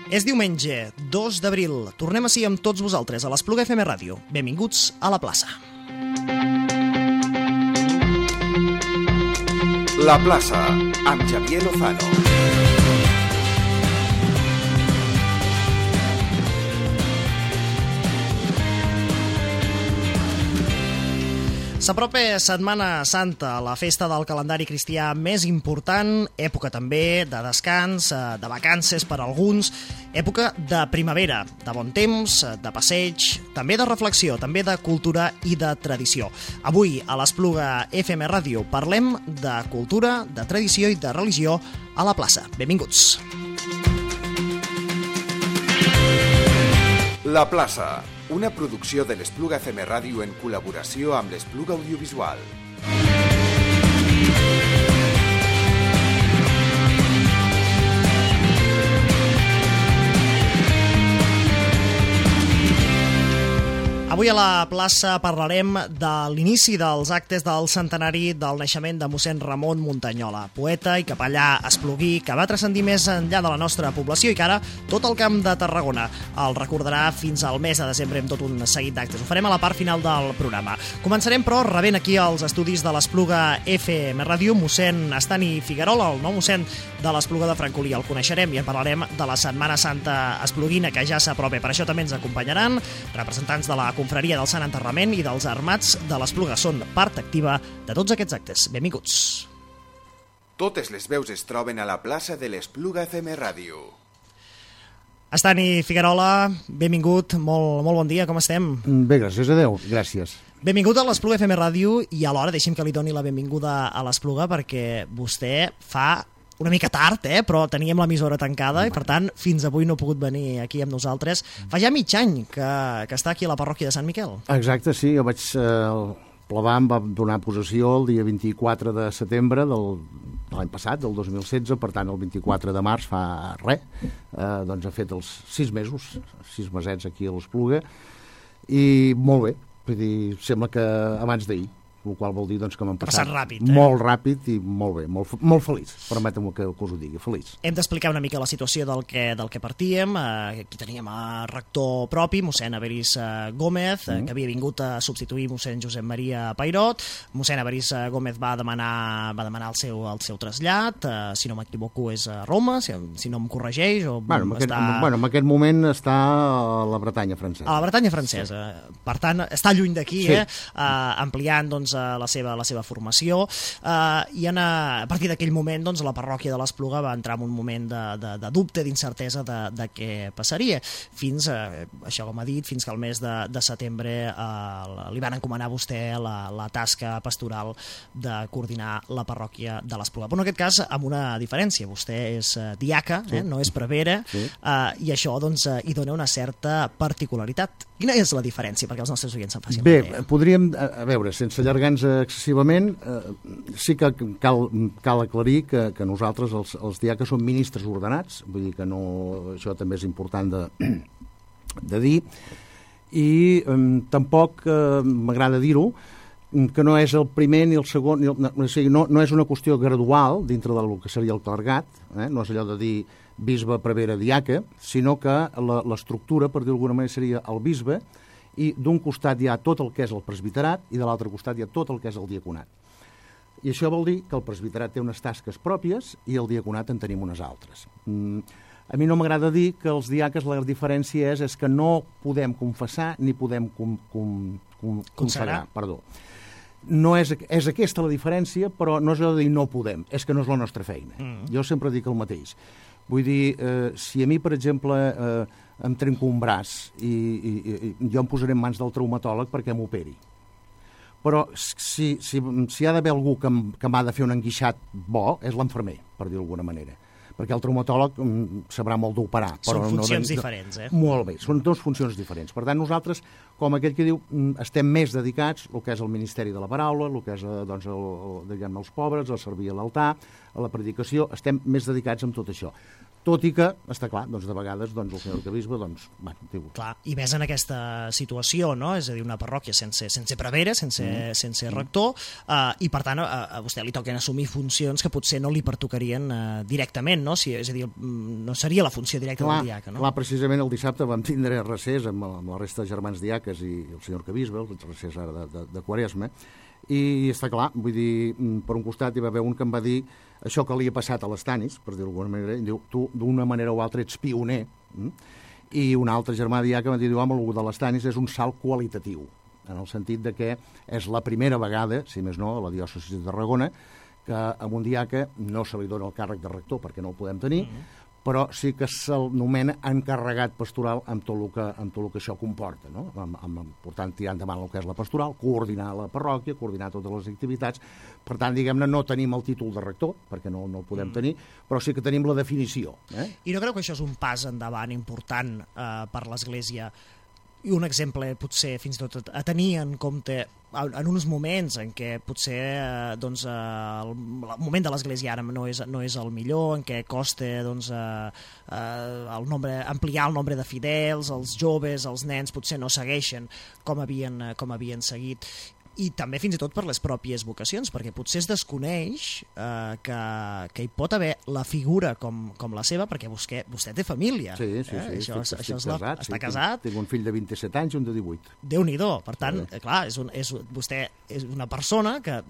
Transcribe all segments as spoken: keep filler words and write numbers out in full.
És diumenge, dos d'abril. Tornem així amb tots vosaltres a l'Espluga F M Ràdio. Benvinguts a la plaça. La plaça, amb Xavier Lozano. S'apropa Setmana Santa, la festa del calendari cristià més important, època també de descans, de vacances per a alguns, època de primavera, de bon temps, de passeig, també de reflexió, també de cultura i de tradició. Avui, a l'Espluga F M Ràdio, parlem de cultura, de tradició i de religió a la plaça. Benvinguts. La plaça, una producció de l'Espluga F M Ràdio en col·laboració amb l'Espluga Audiovisual. Avui a la plaça parlarem de l'inici dels actes del centenari del naixement de mossèn Ramon Muntanyola, poeta i capellà espluguí que va transcendir més enllà de la nostra població i que ara tot el Camp de Tarragona el recordarà fins al mes de desembre amb tot un seguit d'actes. Ho farem a la part final del programa. Començarem, però, rebent aquí als estudis de l'Espluga F M Ràdio mossèn Estani Figuerola, el nou mossèn de l'Espluga de Francolí. El coneixerem i en parlarem de la Setmana Santa espluguina que ja s'apropa. Per això també ens acompanyaran representants de la Confraria del Sant Enterrament i dels Armats de l'Espluga. Són part activa de tots aquests actes. Benvinguts. Totes les veus es troben a la plaça de l'Espluga F M Ràdio. Estani Figuerola, benvingut, molt, molt bon dia, com estem? Bé, gràcies a Déu, gràcies. Benvingut a l'Espluga F M Ràdio i alhora deixi'm que li doni la benvinguda a l'Espluga perquè vostè fa una mica tard, eh? Però teníem l'emissora tancada i, per tant, fins avui no ha pogut venir aquí amb nosaltres. Fa ja mig any que, que està aquí a la parròquia de Sant Miquel. Exacte, sí. Jo vaig... Eh, el Plavà em va donar possessió el dia vint-i-quatre de setembre del, de l'any passat, del dos mil setze, per tant, el vint-i-quatre de març fa res. Eh, doncs ha fet els sis mesos, sis mesets aquí a l'Espluga, i molt bé. Vull dir, sembla que abans d'ahir, el qual vol dir doncs, que m'han passat, passat ràpid, eh? molt ràpid i molt bé, molt, molt feliç, permetem-me que, que us ho digui, feliç. Hem d'explicar una mica la situació del que, del que partíem. Eh, aquí teníem a rector propi, mossèn Averis eh, Gómez, eh, que havia vingut a substituir mossèn Josep Maria Pairot. Mossèn Averis eh, Gómez va demanar, va demanar el, seu, el seu trasllat, eh, si no m'equivoco és a Roma, si, si no em corregeix. O bueno, en aquest, està... bueno, en aquest moment està a la Bretanya francesa. A la Bretanya francesa. Sí. Per tant, està lluny d'aquí, sí. eh, eh, ampliant doncs, la seva, la seva formació, eh, i en, a partir d'aquell moment doncs, la parròquia de l'Espluga va entrar en un moment de, de, de dubte, d'incertesa de, de què passaria, fins, eh, això com ha dit, fins que el mes de, de setembre eh, li van encomanar a vostè la, la tasca pastoral de coordinar la parròquia de l'Espluga. Però en aquest cas amb una diferència, vostè és eh, diaca, sí. eh, no és prevere, sí. eh, i això doncs, eh, hi dona una certa particularitat. Quina és la diferència, perquè els nostres oients se'n facin Bé, una idea? podríem, a veure, sense allargar-nos excessivament, eh, sí que cal, cal aclarir que, que nosaltres, els, els diaques, som ministres ordenats, vull dir que no, això també és important de, de dir, i eh, tampoc eh, m'agrada dir-ho, que no és el primer ni el segon, ni el, no, o sigui, no, no és una qüestió gradual dintre del que seria el clergat, eh, no és allò de dir bisbe, prevere, diaca, sinó que l'estructura, per dir d'alguna manera, seria el bisbe, i d'un costat hi ha tot el que és el presbiterat i de l'altre costat hi ha tot el que és el diaconat. I això vol dir que el presbiterat té unes tasques pròpies i el diaconat en tenim unes altres. Mm, a mi no m'agrada dir que els diaques la diferència és, és que no podem confessar ni podem com, com, com, consagrar. Perdó. No és, és aquesta la diferència, però no és allò de dir no podem, és que no és la nostra feina. Mm. Jo sempre dic el mateix. Vull dir, eh, si a mi, per exemple, eh, em trenco un braç i, i, i jo em posaré en mans del traumatòleg perquè m'operi. Però si, si, si ha d'haver algú que, que m'ha de fer un enguixat bo, és l'infermer, per dir d'alguna manera. Perquè el traumatòleg mm, sabrà molt d'operar. Són però funcions no, diferents, eh? Molt bé, són dues funcions diferents. Per tant, nosaltres, com aquell que diu, estem més dedicats al que és el Ministeri de la Paraula, el que és doncs, el, el, diguem, els pobres, a servir a l'altar, a la predicació, estem més dedicats amb tot això. Tot i que, està clar, doncs de vegades doncs, el senyor arquebisbe, doncs, bueno, diu... Clar, i ves en aquesta situació, no? És a dir, una parròquia sense, sense prevere, sense, mm. sense rector, uh, i per tant a, a vostè li toquen assumir funcions que potser no li pertocarien uh, directament, no? Si, és a dir, no seria la funció directa clar, del diaca, no? Clar, precisament el dissabte vam tindre recés amb, amb la resta de germans diaques i el senyor arquebisbe, el recés ara de, de, de Quaresma, i està clar, vull dir, per un costat hi va haver un que em va dir això que li ha passat a l'Estanis, per dir-ho d'alguna manera, i diu, tu d'una manera o altra ets pioner, mm? I un altre germà diaca va dir, home, el de l'Estanis és un salt qualitatiu, en el sentit de que és la primera vegada, si més no, a la diòcesi de Tarragona, que a un diaca no se li dona el càrrec de rector, perquè no el podem tenir, mm-hmm. però sí que se'l nomena encarregat pastoral amb tot el que, amb tot el que això comporta, no? Amb, amb, per tant, tirar endavant el que és la pastoral, coordinar la parròquia, coordinar totes les activitats. Per tant, diguem-ne, no tenim el títol de rector, perquè no, no el podem mm. tenir, però sí que tenim la definició. Eh? I no creu que això és un pas endavant important eh, per l'Església, i un exemple potser fins i tot a tenir en compte en uns moments en què potser eh, doncs, eh, el, el moment de l'Església ara no és, no és el millor, en què costa doncs, eh, eh, el nombre, ampliar el nombre de fidels, els joves, els nens potser no segueixen com havien, com havien seguit, i també fins i tot per les pròpies vocacions, perquè potser es desconeix eh, que, que hi pot haver la figura com, com la seva, perquè vostè, vostè té família. Sí, sí, sí. Eh? Això, estic, això estic és la, casat, està sí, casat. Tinc, tinc un fill de vint-i-set anys i un de divuit. Déu-n'hi-do. Per tant, sí. clar, és un, és, vostè és una persona que,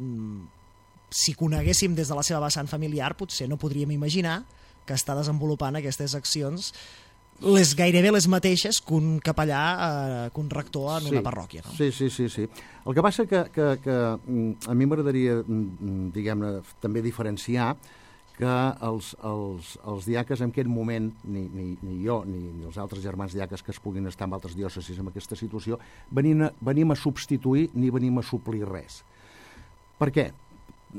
si coneguéssim des de la seva vessant familiar, potser no podríem imaginar que està desenvolupant aquestes accions les gairebé les mateixes que un capellà, eh, que un rector en sí, una parròquia. No? Sí, sí, sí, sí. El que passa que, que, que a mi m'agradaria, diguem-ne, també diferenciar que els, els, els diaques en aquest moment, ni, ni, ni jo ni, ni els altres germans diaques que es puguin estar en altres diòcesis en aquesta situació, venim a, venim a substituir ni venim a suplir res. Per què?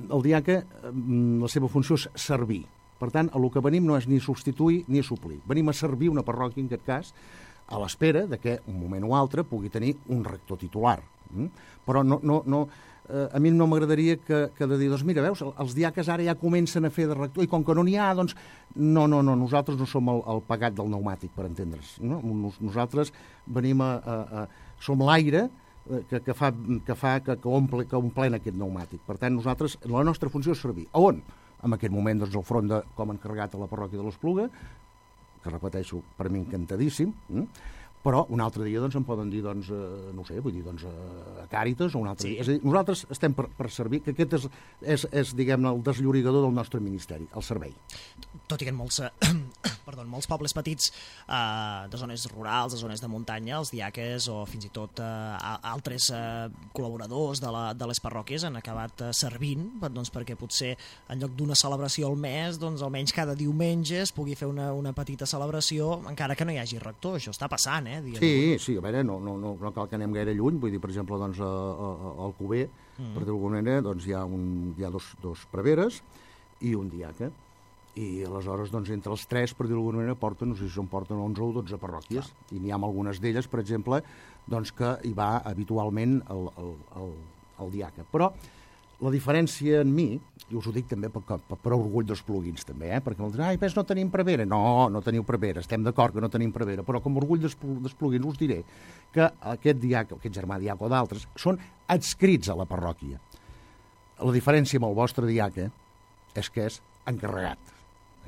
El diaca, la seva funció és servir. Per tant, el que venim no és ni substituir ni suplir. Venim a servir una parròquia, en aquest cas, a l'espera de que un moment o altre pugui tenir un rector titular. Mm? Però no, no, no, eh, a mi no m'agradaria que, que de dir, doncs mira, veus, els diaques ara ja comencen a fer de rector i com que no n'hi ha, doncs no, no, no, nosaltres no som el, el pagat del pneumàtic, per entendre's. No? Nos, nosaltres venim a... a, a som l'aire que, que fa, que, fa que, que, omple, que omplena aquest pneumàtic. Per tant, nosaltres, la nostra funció és servir. A on? En aquest moment, doncs, el front de, com a encarregat a la parròquia de l'Espluga, que repeteixo, per mi encantadíssim, eh? Però un altre dia doncs, em poden dir, doncs, eh, no sé, vull dir, doncs, eh, a Càritas o un altre sí. dia. És a dir, nosaltres estem per, per servir, que aquest és, és, és diguem-ne, el desllorigador del nostre ministeri, el servei. Tot i que en molts, eh, perdó, en molts pobles petits, eh, de zones rurals, de zones de muntanya, els diaques o fins i tot eh, altres eh, col·laboradors de, la, de les parròquies han acabat eh, servint, doncs, perquè potser en lloc d'una celebració al mes, doncs almenys cada diumenge es pugui fer una, una petita celebració, encara que no hi hagi rector. Això està passant, eh? Sí, sí, a veure, no, no, no, no cal que anem gaire lluny, vull dir, per exemple, doncs, a, a, a Alcover, mm. per dir-ho d'alguna manera, doncs hi ha, un, hi ha dos, dos preveres i un diaca, i aleshores, doncs, entre els tres, per dir-ho d'alguna manera, porten, no sé si són porten onze o dotze parròquies, clar. I n'hi ha algunes d'elles, per exemple, doncs, que hi va habitualment el, el, el, el diaca. Però la diferència en mi, i us ho dic també per, per, per orgull dels plugins també, eh? Perquè m'ho diran, ai, ves, no tenim prevera. No, no teniu prevera, estem d'acord que no tenim prevera, però com a orgull dels, dels plugins us diré que aquest diac, aquest germà diac o d'altres són adscrits a la parròquia. La diferència amb el vostre diaca és que és encarregat.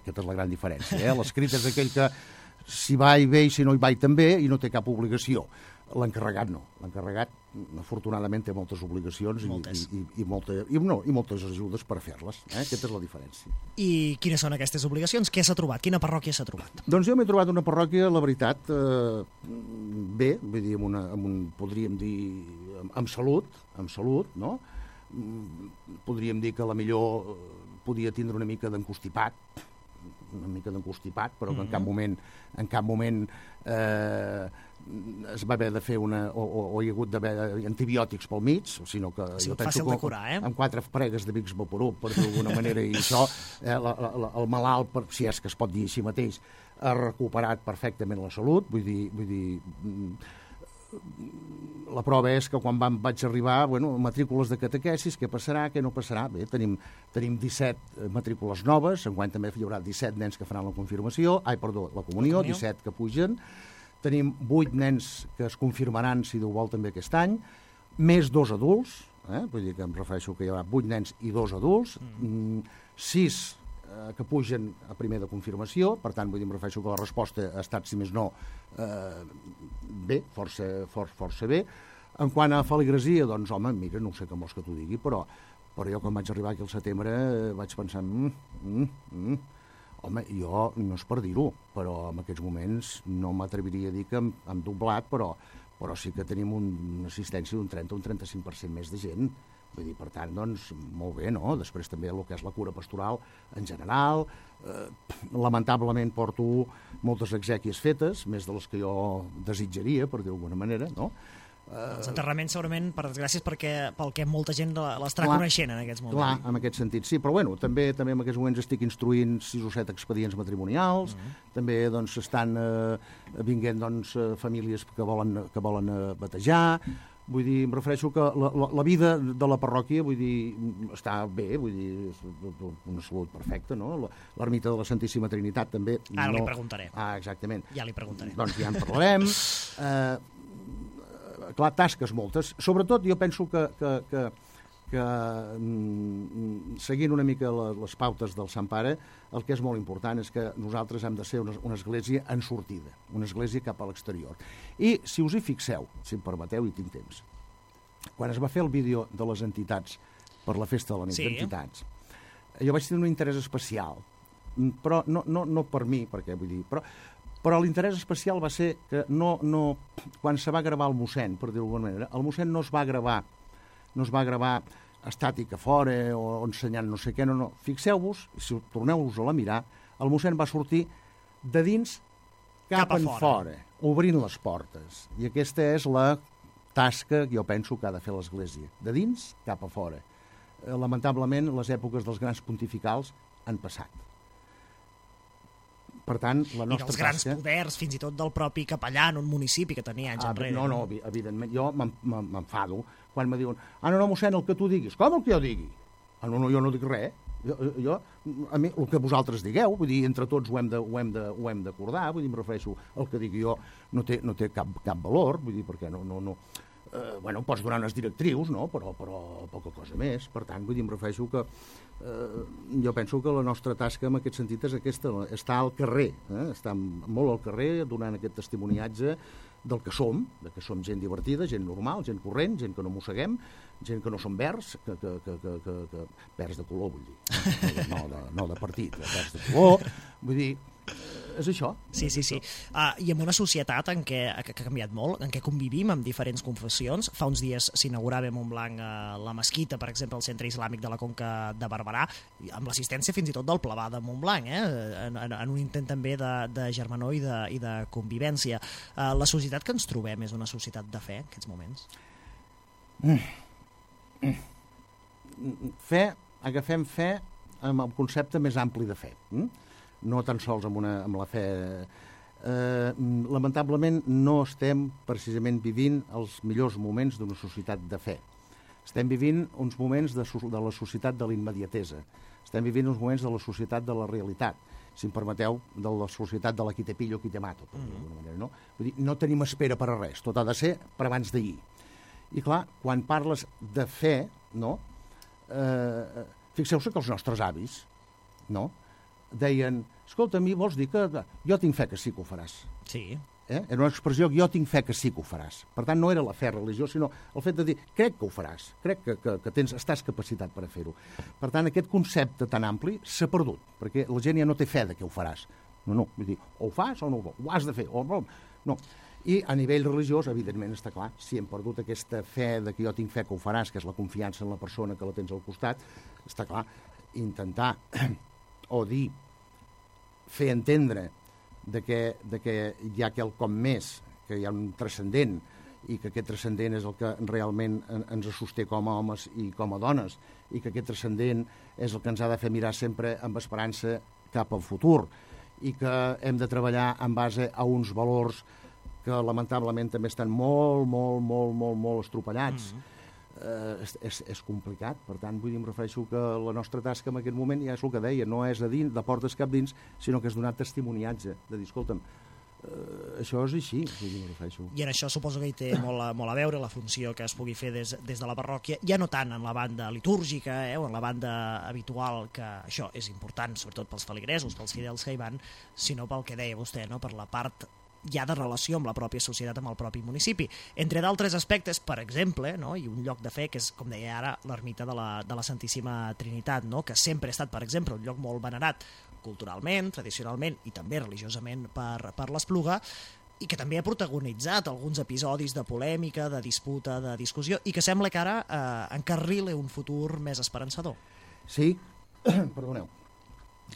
Aquesta és la gran diferència. Eh? L'escrit és aquell que si va i ve i si no hi va i també i no té cap obligació. L'encarregat no. L'encarregat, afortunadament, té moltes obligacions moltes. I, i, i, molta, i, no, i moltes ajudes per fer-les. Eh? Aquesta és la diferència. I quines són aquestes obligacions? Què s'ha trobat? Quina parròquia s'ha trobat? Doncs jo m'he trobat una parròquia, la veritat, eh, bé, vull dir, amb una, amb un, podríem dir, amb, amb salut, amb salut, no? Podríem dir que la millor podia tindre una mica d'encostipat, una mica d'encostipat, però que mm-hmm. en cap moment, en cap moment eh, es va haver de fer una... o, o, o hi ha hagut d'haver antibiòtics pel mig, sinó que sí, jo penso que curar, eh? amb quatre pregues de Vicks Vaporub, per dir d'alguna manera, i això, eh, la, la, el malalt, per, si és que es pot dir així mateix, ha recuperat perfectament la salut, vull dir, vull dir la prova és que quan vam, vaig arribar, bueno, matrícules de catequesis, què passarà, què no passarà? Bé, tenim, tenim disset matrícules noves, enguany també hi haurà disset nens que faran la confirmació, ai, perdó, la comunió, la comunió. disset que pugen, tenim vuit nens que es confirmaran, si Déu vol, també aquest any, més dos adults, eh? Vull dir que em refereixo que hi haurà vuit nens i dos adults, mm. sis eh, que pugen a primer de confirmació, per tant, vull dir, em refereixo que la resposta ha estat, si més no, eh, bé, força, for, força bé. En quant a feligresia, doncs, home, mira, no sé com vols que t'ho digui, però, però jo quan vaig arribar aquí al setembre eh, vaig pensar, mm, mm, mm, home, jo no és per dir-ho, però en aquests moments no m'atreviria a dir que hem, hem doblat, però, però sí que tenim un, una assistència d'un trenta o un trenta-cinc per cent més de gent. Vull dir, per tant, doncs, molt bé, no? Després també el que és la cura pastoral en general. Eh, lamentablement porto moltes exèquies fetes, més de les que jo desitjaria, per dir-ho d'alguna manera, no? Els enterraments, segurament, per desgràcies, perquè pel que molta gent l'estarà coneixent en aquests moments. Clar, en aquest sentit, sí, però bueno, també també en aquests moments estic instruint sis o set expedients matrimonials, uh -huh. també doncs estan eh, vinguent doncs, famílies que volen, que volen eh, batejar. Vull dir, em refereixo que la, la, la vida de la parròquia, vull dir, està bé, vull dir, una salut perfecta, no? L'ermita de la Santíssima Trinitat també... Ara no... li preguntaré. Ah, exactament. Ja li preguntaré. Doncs ja en parlarem. Eh, clar, tasques moltes. Sobretot jo penso que, que, que, que mm, seguint una mica la, les pautes del Sant Pare, el que és molt important és que nosaltres hem de ser una, una església en sortida, una església cap a l'exterior. I si us hi fixeu, si em permeteu i tinc temps, quan es va fer el vídeo de les entitats per la festa de la nit sí. d'entitats, jo vaig tenir un interès especial, però no, no, no per mi, perquè vull dir, però Però l'interès especial va ser que no, no, quan se va gravar el mossèn, per dir-ho d'alguna manera, el mossèn no es va gravar, no es va gravar estàtic a fora o ensenyant no sé què, no, no. Fixeu-vos, si torneu-vos a la mirar, el mossèn va sortir de dins cap, cap en fora. fora, obrint les portes. I aquesta és la tasca que jo penso que ha de fer l'Església, de dins cap a fora. Eh, lamentablement, les èpoques dels grans pontificals han passat. Per tant, la nostra I dels grans tasca... poders, fins i tot del propi capellà en un municipi que tenia anys ah, enrere. No, no, evidentment, jo m'enfado quan me diuen, ah, no, no, mossèn, el que tu diguis. Com el que jo digui? Ah, no, no, jo no dic res. Jo, jo, a mi, el que vosaltres digueu, vull dir, entre tots ho hem de, ho hem de, ho hem d'acordar, vull dir, em refereixo, el que digui jo no té, no té cap, cap valor, vull dir, perquè no... no, no eh, bueno, pots donar unes directrius, no?, però, però poca cosa més. Per tant, vull dir, em refereixo que eh, jo penso que la nostra tasca en aquest sentit és aquesta, estar al carrer, eh? Estar molt al carrer donant aquest testimoniatge del que som, de que som gent divertida, gent normal, gent corrent, gent que no mosseguem, gent que no som verds, que, que, que, que, que, que verds de color, vull dir, no de, no de partit, verds de color, vull dir, és això. Sí, sí, sí. Uh, I en una societat en què, que ha canviat molt, en què convivim amb diferents confessions, fa uns dies s'inaugurava a Montblanc uh, la mesquita, per exemple, al Centre Islàmic de la Conca de Barberà, amb l'assistència fins i tot del Plebà de Montblanc, eh? en, en, en un intent també de, de germanor i de, i de convivència. Uh, la societat que ens trobem és una societat de fe, en aquests moments? Mm. Mm. Fe, agafem fe amb el concepte més ampli de fe. Mm? No tan sols amb, una, amb la fe. Eh, lamentablement no estem precisament vivint els millors moments d'una societat de fe. Estem vivint uns moments de, de la societat de l'immediatesa. Estem vivint uns moments de la societat de la realitat, si em permeteu, de la societat de la qui te pillo, qui te mato. Per mm. manera, no? Vull dir, no tenim espera per a res, tot ha de ser per abans d'ahir. I clar, quan parles de fe, no? Eh, fixeu-se que els nostres avis, no?, deien, escolta, a mi vols dir que jo tinc fe que sí que ho faràs. Sí. Eh? Era una expressió que jo tinc fe que sí que ho faràs. Per tant, no era la fe religiosa, sinó el fet de dir, crec que ho faràs, crec que, que, que tens, estàs capacitat per a fer-ho. Per tant, aquest concepte tan ampli s'ha perdut, perquè la gent ja no té fe de que ho faràs. No, no, vull dir, o ho fas o no ho, ho has de fer, o no. no. I a nivell religiós, evidentment, està clar, si hem perdut aquesta fe de que jo tinc fe que ho faràs, que és la confiança en la persona que la tens al costat, està clar, intentar o dir, fer entendre de que, de que hi ha quelcom més, que hi ha un transcendent, i que aquest transcendent és el que realment ens sosté com a homes i com a dones, i que aquest transcendent és el que ens ha de fer mirar sempre amb esperança cap al futur, i que hem de treballar en base a uns valors que que lamentablement també estan molt, molt, molt, molt, molt estropellats. Mm-hmm. Eh, és, és, és complicat, per tant, vull dir, em refereixo que la nostra tasca en aquest moment ja és el que deia, no és de dins, de portes cap dins, sinó que és donar testimoniatge, de dir, escolta'm, eh, això és així, vull dir, em refereixo. I en això suposo que hi té molt a, molt a veure la funció que es pugui fer des, des de la parròquia, ja no tant en la banda litúrgica, eh, o en la banda habitual, que això és important, sobretot pels feligresos, pels fidels que hi van, sinó pel que deia vostè, no? Per la part ja de relació amb la pròpia societat, amb el propi municipi. Entre d'altres aspectes, per exemple, no? I un lloc de fe, que és, com deia ara, l'ermita de la, de la Santíssima Trinitat, no? Que sempre ha estat, per exemple, un lloc molt venerat culturalment, tradicionalment i també religiosament per, per l'Espluga, i que també ha protagonitzat alguns episodis de polèmica, de disputa, de discussió, i que sembla que ara eh, encarrile un futur més esperançador. Sí, perdoneu.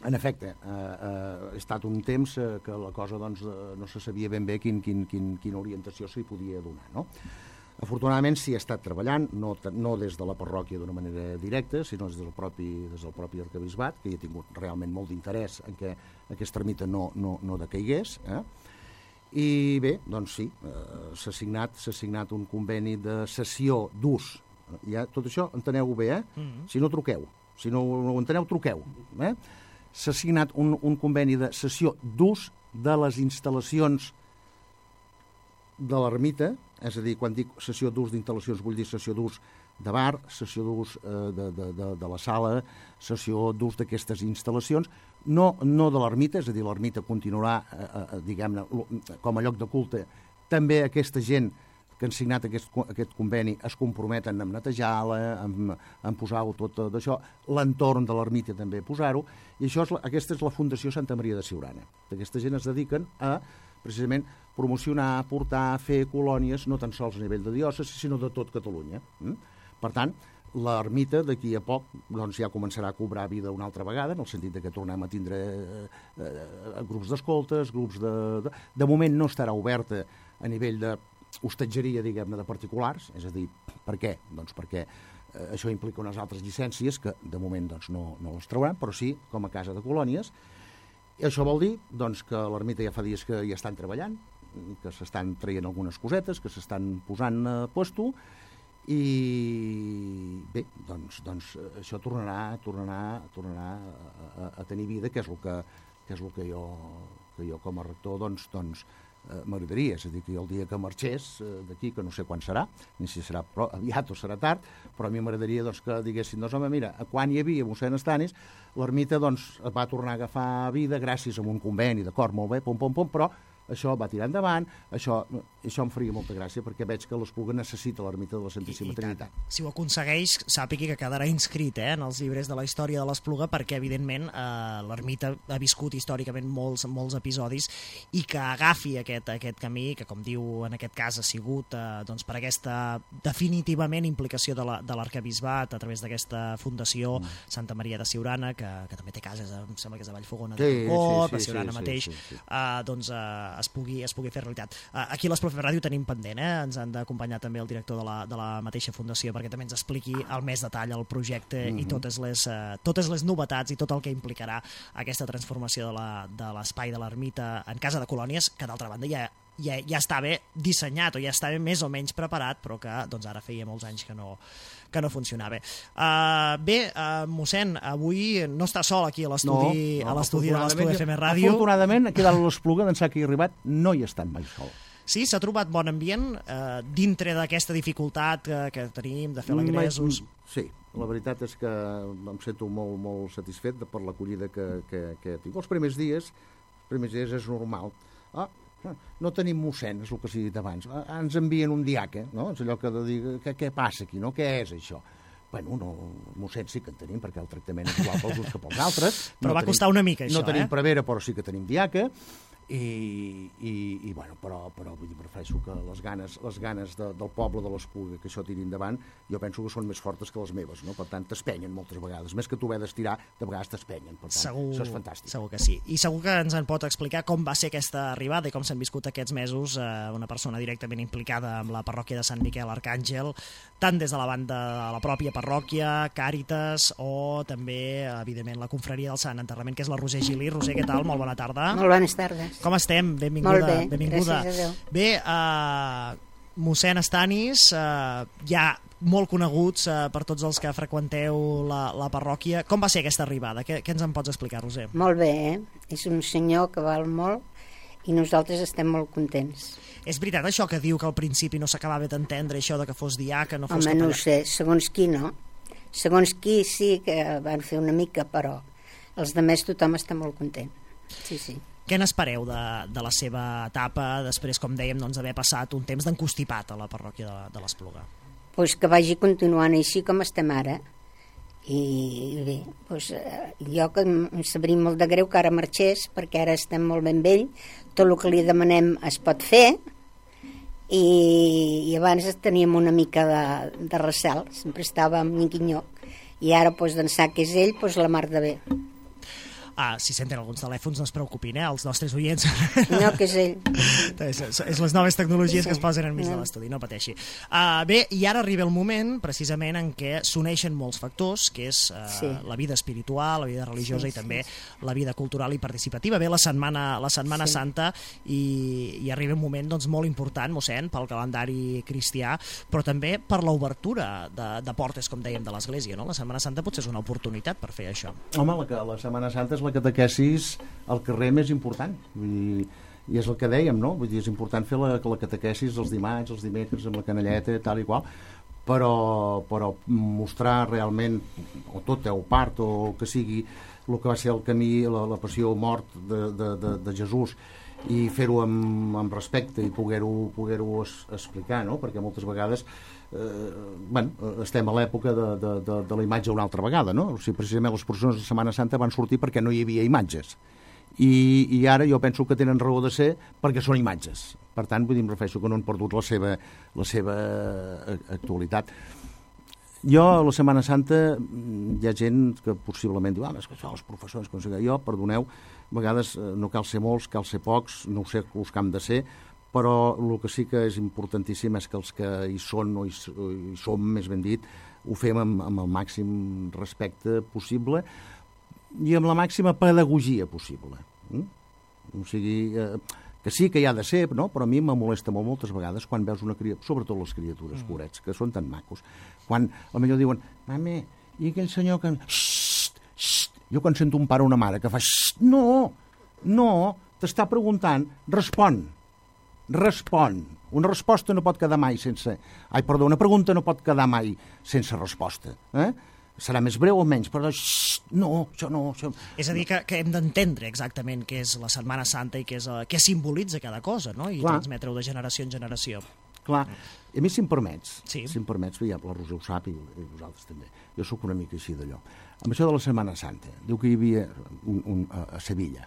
En efecte, eh, eh, ha estat un temps eh, que la cosa doncs, eh, no se sabia ben bé quin, quin, quin, quina orientació s'hi podia donar, no? Afortunadament s'hi ha estat treballant, no, no des de la parròquia d'una manera directa, sinó des del propi, des del propi arquebisbat, que hi ha tingut realment molt d'interès en què aquesta ermita no, no, no decaigués. Eh? I bé, doncs sí, eh, s'ha signat, s'ha signat un conveni de cessió d'ús. Ja, tot això enteneu-ho bé, eh? Mm-hmm. Si no, truqueu. Si no ho enteneu, truqueu. Eh? S'ha signat un, un conveni de cessió d'ús de les instal·lacions de l'ermita, és a dir, quan dic cessió d'ús d'instal·lacions vull dir cessió d'ús de bar, cessió d'ús eh, de, de, de, de la sala, cessió d'ús d'aquestes instal·lacions, no, no de l'ermita, és a dir, l'ermita continuarà, eh, eh, diguem-ne, com a lloc de culte, també aquesta gent que han signat aquest, aquest conveni es comprometen a netejar-la, a, a posar-ho tot d'això, l'entorn de l'ermita també a posar-ho, i això és la, aquesta és la Fundació Santa Maria de Siurana. Aquesta gent es dediquen a, precisament, promocionar, portar, fer colònies, no tan sols a nivell de diòcesi, sinó de tot Catalunya. Mm? Per tant, l'ermita d'aquí a poc doncs, ja començarà a cobrar vida una altra vegada, en el sentit que tornem a tindre eh, eh, grups d'escoltes, grups de, de... De moment no estarà oberta a nivell de hostatgeria, diguem-ne, de particulars, és a dir, per què? Doncs perquè eh, això implica unes altres llicències que de moment doncs, no, no les trauran, però sí com a casa de colònies. I això vol dir doncs, que l'ermita ja fa dies que hi estan treballant, que s'estan traient algunes cosetes, que s'estan posant a puesto, i bé, doncs, doncs això tornarà, tornarà, tornarà a, a, a tenir vida, que és el que, que, és el que, jo, que jo com a rector doncs, doncs, eh, m'agradaria. És a dir, que el dia que marxés eh, d'aquí, que no sé quan serà, ni si serà però, aviat o serà tard, però a mi m'agradaria doncs, que diguessin, doncs home, mira, quan hi havia mossèn Estanis, l'ermita doncs, va tornar a agafar vida gràcies a un conveni, d'acord, molt bé, pom, pom, pom, però això va tirar endavant, això, això em faria molta gràcia perquè veig que l'Espluga necessita l'ermita de la Santíssima I, i Trinitat. Tant. Si ho aconsegueix, sàpigui que quedarà inscrit eh, en els llibres de la història de l'Espluga perquè, evidentment, eh, l'ermita ha viscut històricament molts, molts episodis i que agafi aquest, aquest camí, que com diu en aquest cas ha sigut eh, doncs, per aquesta definitivament implicació de l'arquebisbat a través d'aquesta fundació mm. Santa Maria de Siurana, que, que també té cases, em sembla que és a Vallfogona de sí, Cop, sí, sí, a Siurana sí, mateix, sí, sí, sí. Eh, doncs eh, es pugui, es pugui fer realitat. Aquí a l'Espluga F M Ràdio tenim pendent, eh? Ens han d'acompanyar també el director de la, de la mateixa fundació perquè també ens expliqui al més detall el projecte mm-hmm. i totes les, uh, totes les novetats i tot el que implicarà aquesta transformació de l'espai de l'ermita en casa de colònies, que d'altra banda ja, ja, ja està bé dissenyat o ja està bé més o menys preparat, però que doncs, ara feia molts anys que no, que no funcionava. Uh, bé, uh, mossèn, avui no està sol aquí a l'estudi no, no, a l'estudi de l'Espluga F M Ràdio. Afortunadament, aquí dalt a l'Espluga, d'ençà que hi ha arribat, no hi ha estat mai sol. Sí, s'ha trobat bon ambient eh, dintre d'aquesta dificultat que, que tenim de fer l'agréssos. Sí, la veritat és que em sento molt, molt satisfet per l'acollida que, que, que tinc. Els primers dies, els primers dies és normal. Ah, no tenim mossèn, és el que s'ha dit abans. Ah, ens envien un diaca, no? És allò que de dir, què, què passa aquí, no? Què és això? Bueno, no, mossèn sí que en tenim, perquè el tractament és igual pels uns que pels altres. Però no va tenim, costar una mica, això, no tenim eh? prevera, però sí que tenim diaca. I, i, i bueno, però, però vull dir, prefereixo que les ganes, les ganes de, del poble de l'Espluga que això tiri endavant, jo penso que són més fortes que les meves, no? Per tant, t'espenyen moltes vegades, més que tu haver d'estirar, de vegades t'espenyen, per tant, segur, això és fantàstic. Segur que sí, i segur que ens en pot explicar com va ser aquesta arribada i com s'han viscut aquests mesos eh, una persona directament implicada amb la parròquia de Sant Miquel Arcàngel, tant des de la banda de la pròpia parròquia, Càritas, o també, evidentment, la confraria del Sant Enterrament, que és la Roser Gili. Roser, què tal? Molt bona tarda. Molt bones tardes. Com estem? Benvinguda. Molt bé, benvinguda. gràcies a Déu. Bé, uh, mossèn Estanis, uh, ja molt coneguts uh, per tots els que freqüenteu la, la parròquia. Com va ser aquesta arribada? Què, què ens en pots explicar, Roser? Molt bé, eh? És un senyor que val molt i nosaltres estem molt contents. És veritat això que diu que al principi no s'acabava d'entendre, això de que fos diaca, no fos Home, capellà? no ho sé, segons qui no. Segons qui sí que van fer una mica, però els demés tothom està molt content. Sí, sí. Què n'espereu de, de la seva etapa, després, com dèiem, doncs, d'haver passat un temps d'encostipat a la parròquia de, de l'Espluga? Pues que vagi continuant així com estem ara. I, i bé, pues, jo que em sabria molt de greu que ara marxés, perquè ara estem molt ben vell, tot el que li demanem es pot fer, i, i abans teníem una mica de, de recel, sempre estava amb Niquinyó, i ara pues, d'ençà que és ell, pues, la mar de bé. Ah, si senten alguns telèfons, no es preocupin, eh, els nostres oients. No, que és ell. és, és les noves tecnologies Sí. que es posen enmig de l'estudi, no pateixi. Uh, bé, i ara arriba el moment, precisament, en què s'uneixen molts factors, que és uh, Sí. la vida espiritual, la vida religiosa Sí, i també sí, la vida cultural i participativa. Bé, la Setmana, la setmana Sí. Santa, i, i arriba un moment doncs, molt important, mossèn, pel calendari cristià, però també per l'obertura de, de portes, com dèiem, de l'Església, no? La Setmana Santa potser és una oportunitat per fer això. Home, la, la Setmana Santa és la catequesis al carrer més important. Vull dir, i és el que dèiem, no? Vull dir, és important fer la, la catequesis els dimarts, els dimecres, amb la canelleta, tal i qual, però, però mostrar realment, o tot, o part, o que sigui el que va ser el camí, la, la passió mort de, de, de, de Jesús, i fer-ho amb, amb respecte i poder-ho poder-ho es, explicar, no? Perquè moltes vegades eh, bueno, estem a l'època de, de, de, de la imatge una altra vegada, no? O sigui, precisament les processions de Setmana Santa van sortir perquè no hi havia imatges, i, i ara jo penso que tenen raó de ser perquè són imatges. Per tant, vull dir, em refereixo que no han perdut la seva, la seva actualitat. Jo, a la Setmana Santa, hi ha gent que possiblement diu, ah, és que això, els professors, com sigui. Jo, perdoneu, a vegades no cal ser molts, cal ser pocs, no ho sé els que hem de ser, però el que sí que és importantíssim és que els que hi són o hi, o hi som, més ben dit, ho fem amb, amb el màxim respecte possible i amb la màxima pedagogia possible. Mm? O sigui, eh, que sí que hi ha de ser, no? Però a mi me molesta molt moltes vegades quan veus una criatura, sobretot les criatures, mm. corets, que són tan macos, quan potser diuen, mame, i aquell senyor que... Xxt, xxt. Jo quan sento un pare o una mare que fa xxt, no, no, t'està preguntant, respon, respon. Una resposta no pot quedar mai sense... Ai, perdó, una pregunta no pot quedar mai sense resposta. Eh? Serà més breu o menys, però xxt, no, això no... Això... És a dir, que, que hem d'entendre exactament què és la Setmana Santa i què, és, què simbolitza cada cosa, no? I Clar. transmetre-ho de generació en generació. Clar, i a mi si em permets, Sí. si em permets, ja la Roser ho sap i, i vosaltres també, jo sóc una mica així d'allò. Amb això de la Setmana Santa, diu que hi havia un, un, a, a Sevilla,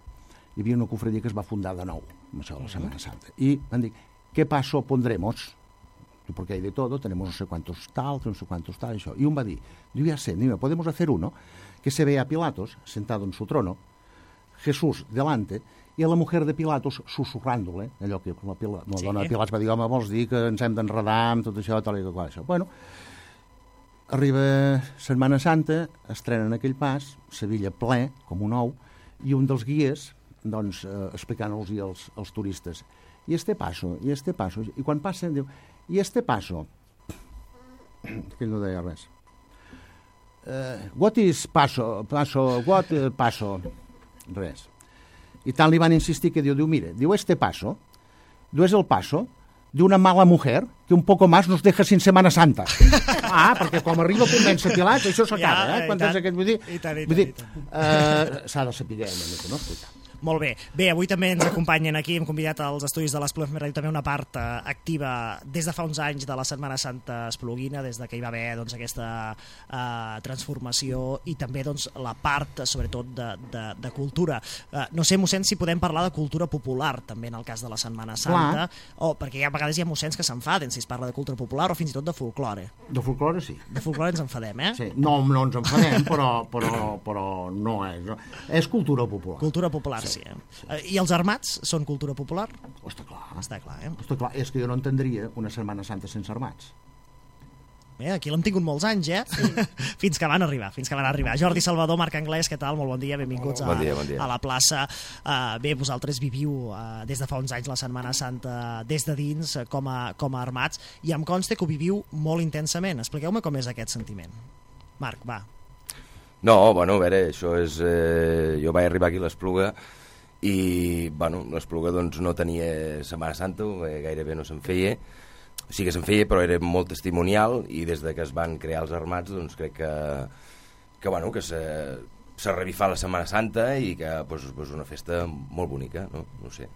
hi havia una cofradia que es va fundar de nou, amb això de la Setmana Santa, i van dir, ¿qué paso pondremos? Porque hay de todo, tenemos no sé cuántos tal, no sé cuántos tal, això. Y un va dir, diu, ya sé, mira, podemos hacer uno, que se ve a Pilatos, sentado en su trono, Jesús delante, i a la mujer de Pilatos susurrándole, allò que la, Pila, la Sí. dona de Pilatos va dir, home, vols dir que ens hem d'enredar amb tot això, tal i qual, això. Bueno, arriba Setmana Santa, estrenen aquell pas, Sevilla ple, com un ou, i un dels guies, doncs, eh, explicant-los als, als turistes, i este paso, i este paso, i quan passen, diu, i este paso, que ell no deia res, uh, what is paso, paso, what uh, paso, res. I tant li van insistir que diu, diu, mire, diu, este paso, diu, es el paso de una mala mujer que un poco más nos deja sin Semana Santa. Ah, perquè com arriba a convèncer Pilats, això s'acaba, Ja, eh? i Quan tant, tens aquest, vull dir, i tant, i tant, vull dir, i tant. eh, s'ha de saber una mica, no? Escolta. Molt bé. Bé, avui també ens acompanyen aquí, hem convidat als estudis de l'Espluga F M Ràdio també una part eh, activa des de fa uns anys de la Setmana Santa espluguina, des de que hi va haver doncs, aquesta eh, transformació i també doncs, la part, sobretot, de, de, de cultura. Eh, no sé, mossèn, si podem parlar de cultura popular també en el cas de la Setmana Santa, o perquè hi ha, a vegades hi ha mossèns que s'enfaden si es parla de cultura popular o fins i tot de folklore. De folclore, sí. De folklore ens enfadem, eh? Sí. No, no ens enfadem, però, però, però no és. No. És cultura popular. Cultura popular, sí. sí, eh? sí. I els armats són cultura popular? Està clar. Està clar, eh? Està clar. És que jo no entendria una Setmana Santa sense armats. Eh? Aquí l'hem tingut molts anys, eh? Sí. fins que van arribar, fins que van arribar. Jordi Salvador, Marc Anglès, què tal? Molt bon dia, benvinguts bon dia, bon dia. A, a la plaça. Uh, bé, vosaltres viviu uh, des de fa uns anys la Setmana Santa des de dins, uh, com, a, com a armats, i em consta que ho viviu molt intensament. Expliqueu-me com és aquest sentiment. Marc, va. No, bueno, a veure, això és... Eh, jo vaig arribar aquí a l'Espluga i, bueno, l'Espluga doncs no tenia Setmana Santa, eh, gairebé no se'n feia. Sí que se'n feia, però era molt testimonial, i des de que es van crear els armats, doncs crec que, que, bueno, que se, se revifà la Setmana Santa i que pues, pues una festa molt bonica, no, no sé.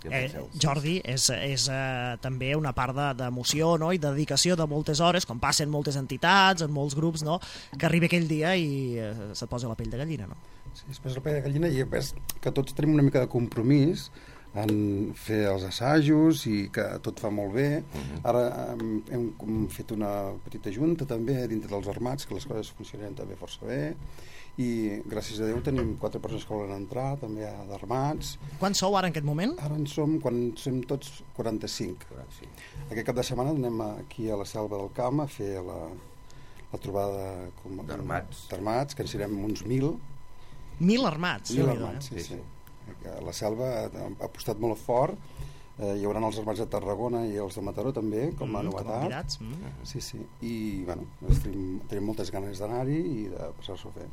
Eh, Jordi, és, és eh, també una part d'emoció, no? I de dedicació de moltes hores, com passen moltes entitats, en molts grups, no? Que arriba aquell dia i eh, se't posa la pell de gallina, no? Sí, es posa la pell de gallina i és que tots tenim una mica de compromís en fer els assajos i que tot fa molt bé. Uh-huh. Ara hem, hem fet una petita junta també dintre dels armats, que les coses funcionen també força bé, i gràcies a Déu tenim quatre persones que volen entrar també d'armats. Quants sou ara en aquest moment? Ara en som, quan som tots, quaranta-cinc. Aquest cap de setmana anem aquí a la Selva del Camp a fer la, la trobada d'armats, que en serem uns mil. Mil armats? Mil armats, sí, sí. La Selva ha apostat molt fort, eh, hi haurà els armats de Tarragona i els de Mataró també, com a mm, novetat. Com a mm. Sí, sí, i bueno, tenim, tenim moltes ganes d'anar-hi i de passar-s'ho bé.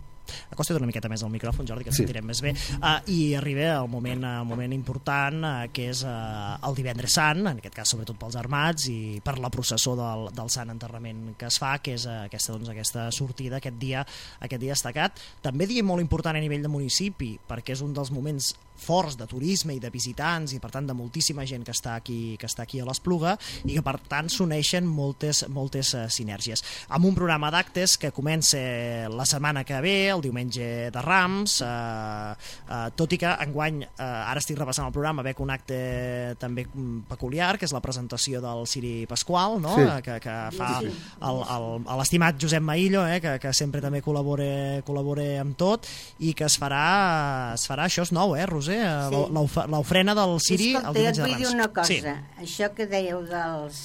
Acosta't una miqueta més al micròfon, Jordi, que ens sí. sentirem més bé. Uh, I arriba el moment, el moment important, uh, que és uh, el divendres sant, en aquest cas sobretot pels armats i per la processó del, del Sant Enterrament que es fa, que és uh, aquesta, doncs, aquesta sortida, aquest dia, aquest dia destacat. També dia molt important a nivell de municipi, perquè és un dels moments forts de turisme i de visitants i per tant de moltíssima gent que està aquí, que està aquí a l'Espluga, i que per tant s'uneixen moltes, moltes uh, sinergies. Amb un programa d'actes que comença la setmana que ve, el diumenge de Rams, eh, eh, tot i que enguany, eh, ara estic repassant el programa, veig un acte també peculiar, que és la presentació del Ciri Pasqual, no? Sí. que, que fa l'estimat Josep Maillo, eh, que, que sempre també col·labora, col·labora amb tot, i que es farà, es farà això és nou, eh, Roser? Sí. L'ofrena del Ciri el diumenge de Rams. Escolta, jo et vull dir una cosa. Sí. Això que dèieu dels,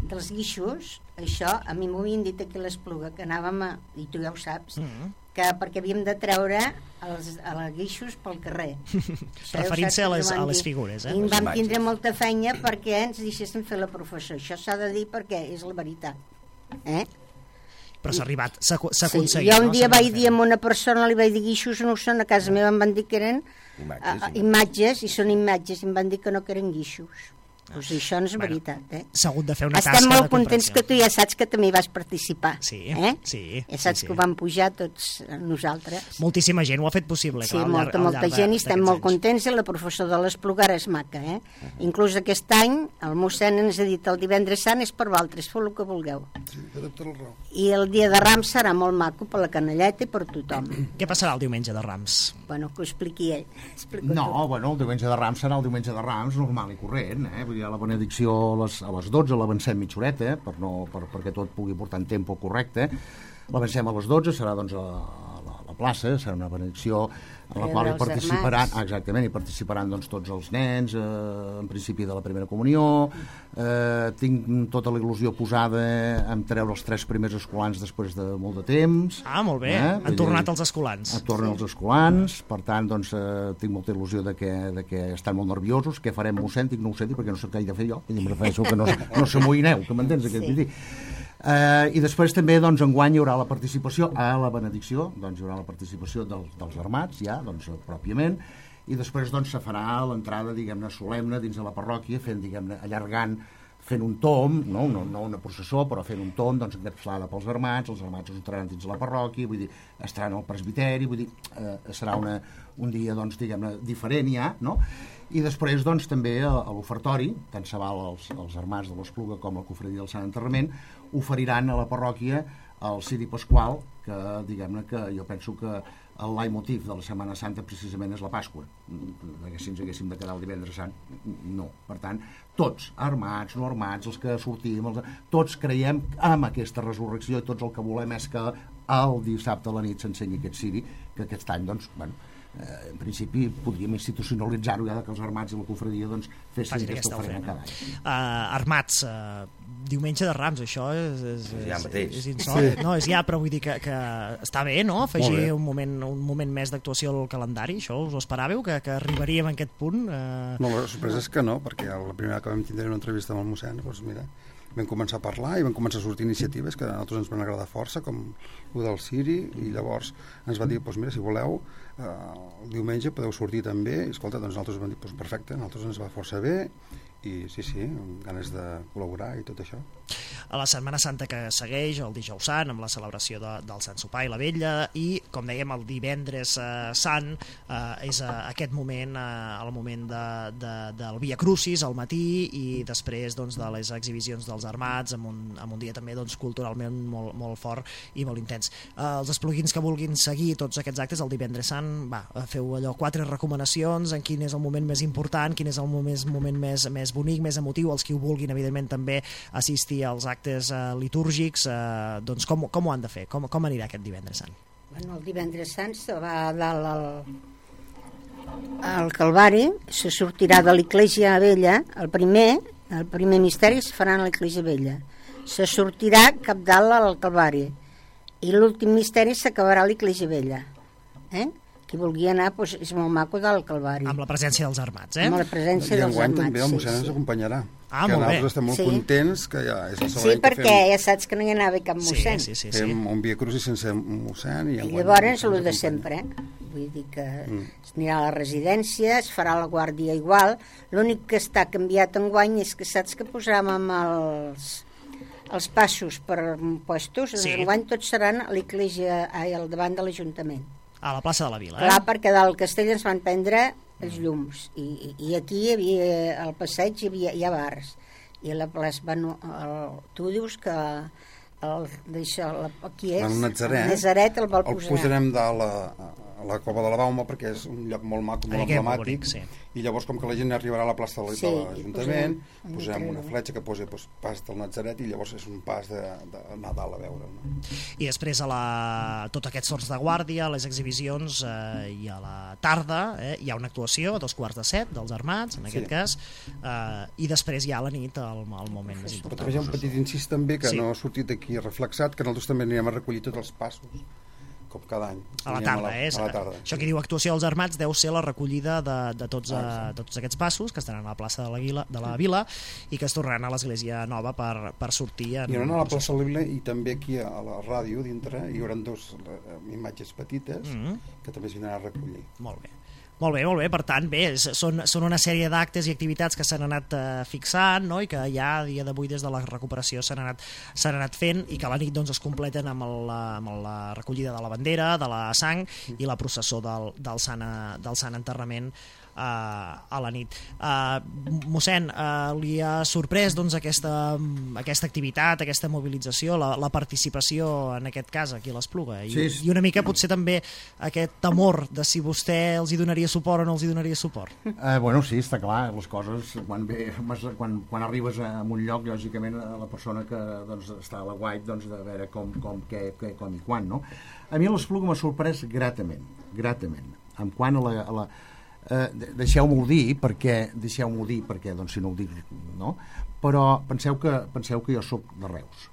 dels guixos, això a mi m'ho havien dit aquí a l'Espluga, que anàvem a, i tu ja ho saps, mm-hmm. que perquè havíem de treure els, els guixos pel carrer. Referint-se a, les, a les figures. Eh? I vam tindre molta feina perquè ens deixessin fer la professó. Això s'ha de dir perquè és la veritat. Eh? Però s'ha arribat, s'ha aconseguit. Sí, jo un dia no? vaig dir a una persona, li vaig dir guixos, no ho són, a casa meva em van dir que eren imatges, uh, imatges, i són imatges, i em van dir que no que eren guixos. Pues això no és bueno, veritat, eh? S'ha hagut de fer una Estem tasca molt contents que tu ja saps que també vas participar. Sí, eh? sí. Ja saps sí, sí. que ho vam pujar tots nosaltres. Moltíssima gent ho ha fet possible. Sí, clar, molta, llarg, molta gent, i estem molt contents, i la professora de l'Espluga és maca, eh? Uh -huh. Inclús aquest any, el mossèn ens ha dit el divendres sant és per vosaltres, feu el que vulgueu. Sí, té tota la raó. I el dia de Rams serà molt maco per la canelleta i per tothom. Què passarà el diumenge de Rams? Bueno, que ho expliqui ell. Explico no, tu. bueno, el diumenge de Rams serà el diumenge de Rams normal i corrent, eh? Vull dir, la benedicció a les, a les dotze l'avancem mitja horeta, eh? per no, per, perquè tot pugui portar en tempo correcte. L'avancem a les dotze, serà doncs a la, a la plaça, serà una benedicció en la qual hi participaran, ah, exactament, hi participaran doncs, tots els nens, eh, en principi de la primera comunió. Eh, tinc tota la il·lusió posada en treure els tres primers escolans després de molt de temps. Ah, molt bé, eh? han tornat els escolans. Han tornat els escolans, per tant, doncs, eh, tinc molta il·lusió de que, de que estan molt nerviosos. Què farem, mossèn? Dic, no ho sé, perquè no sé què he de fer jo. I em refereixo que no, no s'amoïneu, que m'entens? Sí. Aquest dir. Uh, I després també doncs, enguany hi haurà la participació a la benedicció, doncs hi haurà la participació dels, dels armats ja, doncs pròpiament, i després doncs se farà l'entrada, diguem-ne, solemne dins de la parròquia, fent, diguem-ne, allargant, fent un tom, no, no, no una processó, però fent un tom, doncs, encapçalada pels armats, els armats es entraran dins de la parròquia, vull dir, estaran al presbiteri, vull dir, eh, serà una, un dia, doncs, diguem-ne, diferent ja, no? I després, doncs, també a, a l'ofertori, tant se val els, els armats de l'Espluga com la cofradia del Sant Enterrament, oferiran a la parròquia el Ciri Pasqual, que, diguem-ne, que jo penso que el leitmotiv de la Setmana Santa precisament és la Pasqua, perquè si ens haguéssim de quedar el divendres sant, no. Per tant, tots, armats, no armats, els que sortim, els, tots creiem en aquesta resurrecció, i tots el que volem és que el dissabte a la nit s'ensenyi aquest ciri, que aquest any, doncs, bueno, eh, en principi podríem institucionalitzar-ho ja que els armats i la cofradia doncs, fessin aquesta ofrena cada any. Uh, armats, uh, diumenge de Rams, això és, és, és, ja mateix. és insòlit. Sí. No, és ja, però vull dir que, que està bé, no?, afegir un moment, un moment més d'actuació al calendari, això us ho esperàveu, que, que arribaríem a aquest punt? Uh... No, la sorpresa és que no, perquè la primera que vam tindre una entrevista amb el mossèn, doncs mira, vam començar a parlar i vam començar a sortir iniciatives que a nosaltres ens van agradar força, com el del Ciri, i llavors ens va dir, doncs mira, si voleu, eh, el diumenge podeu sortir també, i escolta, doncs nosaltres vam dir, doncs perfecte, a nosaltres ens va força bé, i sí, sí, amb ganes de col·laborar i tot això. A la Setmana Santa que segueix, el dijous sant, amb la celebració de, del Sant Sopar i la Vetlla, i, com dèiem, el divendres eh, sant eh, és eh, aquest moment, eh, el moment de, de, del Via Crucis al matí, i després doncs, de les exhibicions dels armats, amb un, amb un dia també doncs, culturalment molt, molt fort i molt intens. Eh, els espluguins que vulguin seguir tots aquests actes el divendres sant, va, feu allò, quatre recomanacions en quin és el moment més important, quin és el moment, moment més, més bonic, més emotiu, els que ho vulguin evidentment també assistir als actes eh, litúrgics, eh, doncs com, com ho han de fer? Com, com anirà aquest divendres sant? Bueno, el divendres sant se va a dalt al, al Calvari, se sortirà de l'Església Vella, el primer, el primer misteri es farà a l'Església Vella, se sortirà cap dalt al Calvari, i l'últim misteri s'acabarà a l'Església Vella. Eh? Qui vulgui anar, doncs, és molt maco del Calvari. Amb la presència dels armats, eh? Amb la presència I dels enguany armats, també el mossèn sí, ens sí. acompanyarà. Ah, que molt bé. nosaltres estem molt Sí. contents, que ja és el Sí, segon any perquè que fem, ja saps que no hi anava cap mossèn. Sí, sí, sí, fem sí. un Via Crucis sense mossèn. I, I enguany llavors, el el de mossèn sempre, eh? Vull dir que Mm. es anirà a la residència, es farà la guàrdia igual. L'únic que està canviat enguany és que saps que posarem amb els, els passos per puestos, Sí. sí. Enguany tots seran a l'església, ai, al davant de l'Ajuntament. A la plaça de la Vila, eh? Clar, perquè del castell ens van prendre els llums i, i, i aquí hi havia, al passeig hi havia hi ha bars i a la plaça, bueno, el, tu dius que el, d'això, la, aquí és el Natzaret, el Nazaret el vol el posar posarem de la, a la Cova de la Bauma perquè és un lloc molt maco, molt Aquí és molt emblemàtic, bonic, sí. i llavors com que la gent arribarà a la plaça de, Sí, de i l'Ajuntament, posem un posem una creu. fletxa que posa doncs, pas del Natzaret i llavors és un pas de, de Nadal a veure, no? I després a la, tot aquests torns de guàrdia, les exhibicions, eh, i a la tarda eh, hi ha una actuació a dos quarts de set dels armats, en aquest Sí. cas, eh, i després hi ha la nit el, el moment més Però important. també hi ha un petit incís també que Sí. no ha sortit aquí reflexat, que nosaltres també anirem a recollir tots els passos com cada any. A la Anirem tarda, a la, eh? a la tarda. Això que diu actuació dels armats deu ser la recollida de, de tots, eh, tots aquests passos que estaran a la plaça de la, Vila, de la Vila i que es tornaran a l'església nova per, per sortir en... Hi haurà a la plaça de la Vila i també aquí a la ràdio dintre hi haurà dos eh, imatges petites Mm -hmm. que també es vindran a recollir. Molt bé. Molt bé, molt bé, per tant, bé, és- són, són una sèrie d'actes i activitats que s'han anat eh, fixant, no?, i que ja a dia d'avui des de la recuperació s'han anat, s'han anat fent i que a la nit doncs, es completen amb, el, amb la recollida de la bandera, de la sang i la processó del, del, sant, eh, del sant enterrament eh, a la nit. Eh, mossèn, eh, li ha sorprès doncs, aquesta, aquesta activitat, aquesta mobilització, la, la participació en aquest cas aquí a l'Espluga i, Sí, sí. i una mica potser també aquest temor de si vostè els hi donaria suport o no els hi donaria suport. Eh, bueno, sí, està clar, les coses, quan, ve, quan, quan arribes a un lloc, lògicament, la persona que doncs, està a la guait, doncs, de veure com, com, què, què, com i quan, no? A mi l'Espluga m'ha sorprès gratament, gratament. En quant a la... A la eh, deixeu-m'ho dir, perquè, deixeu-m'ho dir, perquè, doncs, si no ho dic, no? Però penseu que, penseu que jo sóc de Reus.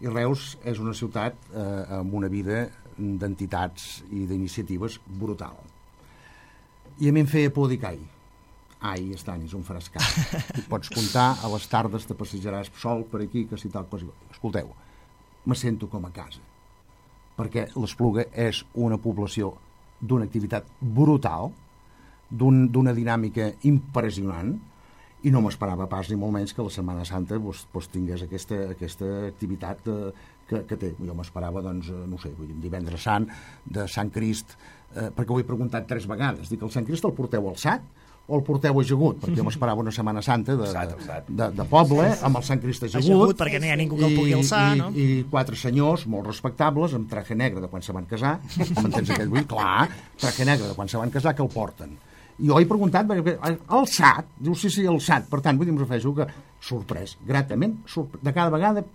I Reus és una ciutat eh, amb una vida d'entitats i d'iniciatives brutal. I a mi em feia por dir que ai, ai, estan, és un frescat. I pots comptar, a les tardes te passejaràs sol per aquí, que si tal cosa... Escolteu, me sento com a casa, perquè l'Espluga és una població d'una activitat brutal, d'un, d'una dinàmica impressionant, i no m'esperava pas ni molt menys que la Setmana Santa doncs, doncs tingués aquesta, aquesta activitat eh, que, que té. Jo m'esperava, doncs, no sé, vull dir, un divendres sant, de Sant Crist, eh, perquè ho he preguntat tres vegades. Dic, el Sant Crist el porteu alçat o el porteu ajagut? Perquè jo m'esperava una Setmana Santa de, Alçat, de, alçat. de, de poble, amb el Sant Crist ajagut, Ajagut, perquè no hi ha ningú que el pugui alçar, i, no? i quatre senyors molt respectables, amb traje negre de quan se van casar, m'entens aquest vull? Clar, traje negre de quan se van casar, que el porten. I jo he preguntat, perquè, alçat, diu, sí, sí, alçat, per tant, vull dir, em refereixo que sorprès, gratament, sorpre... de cada vegada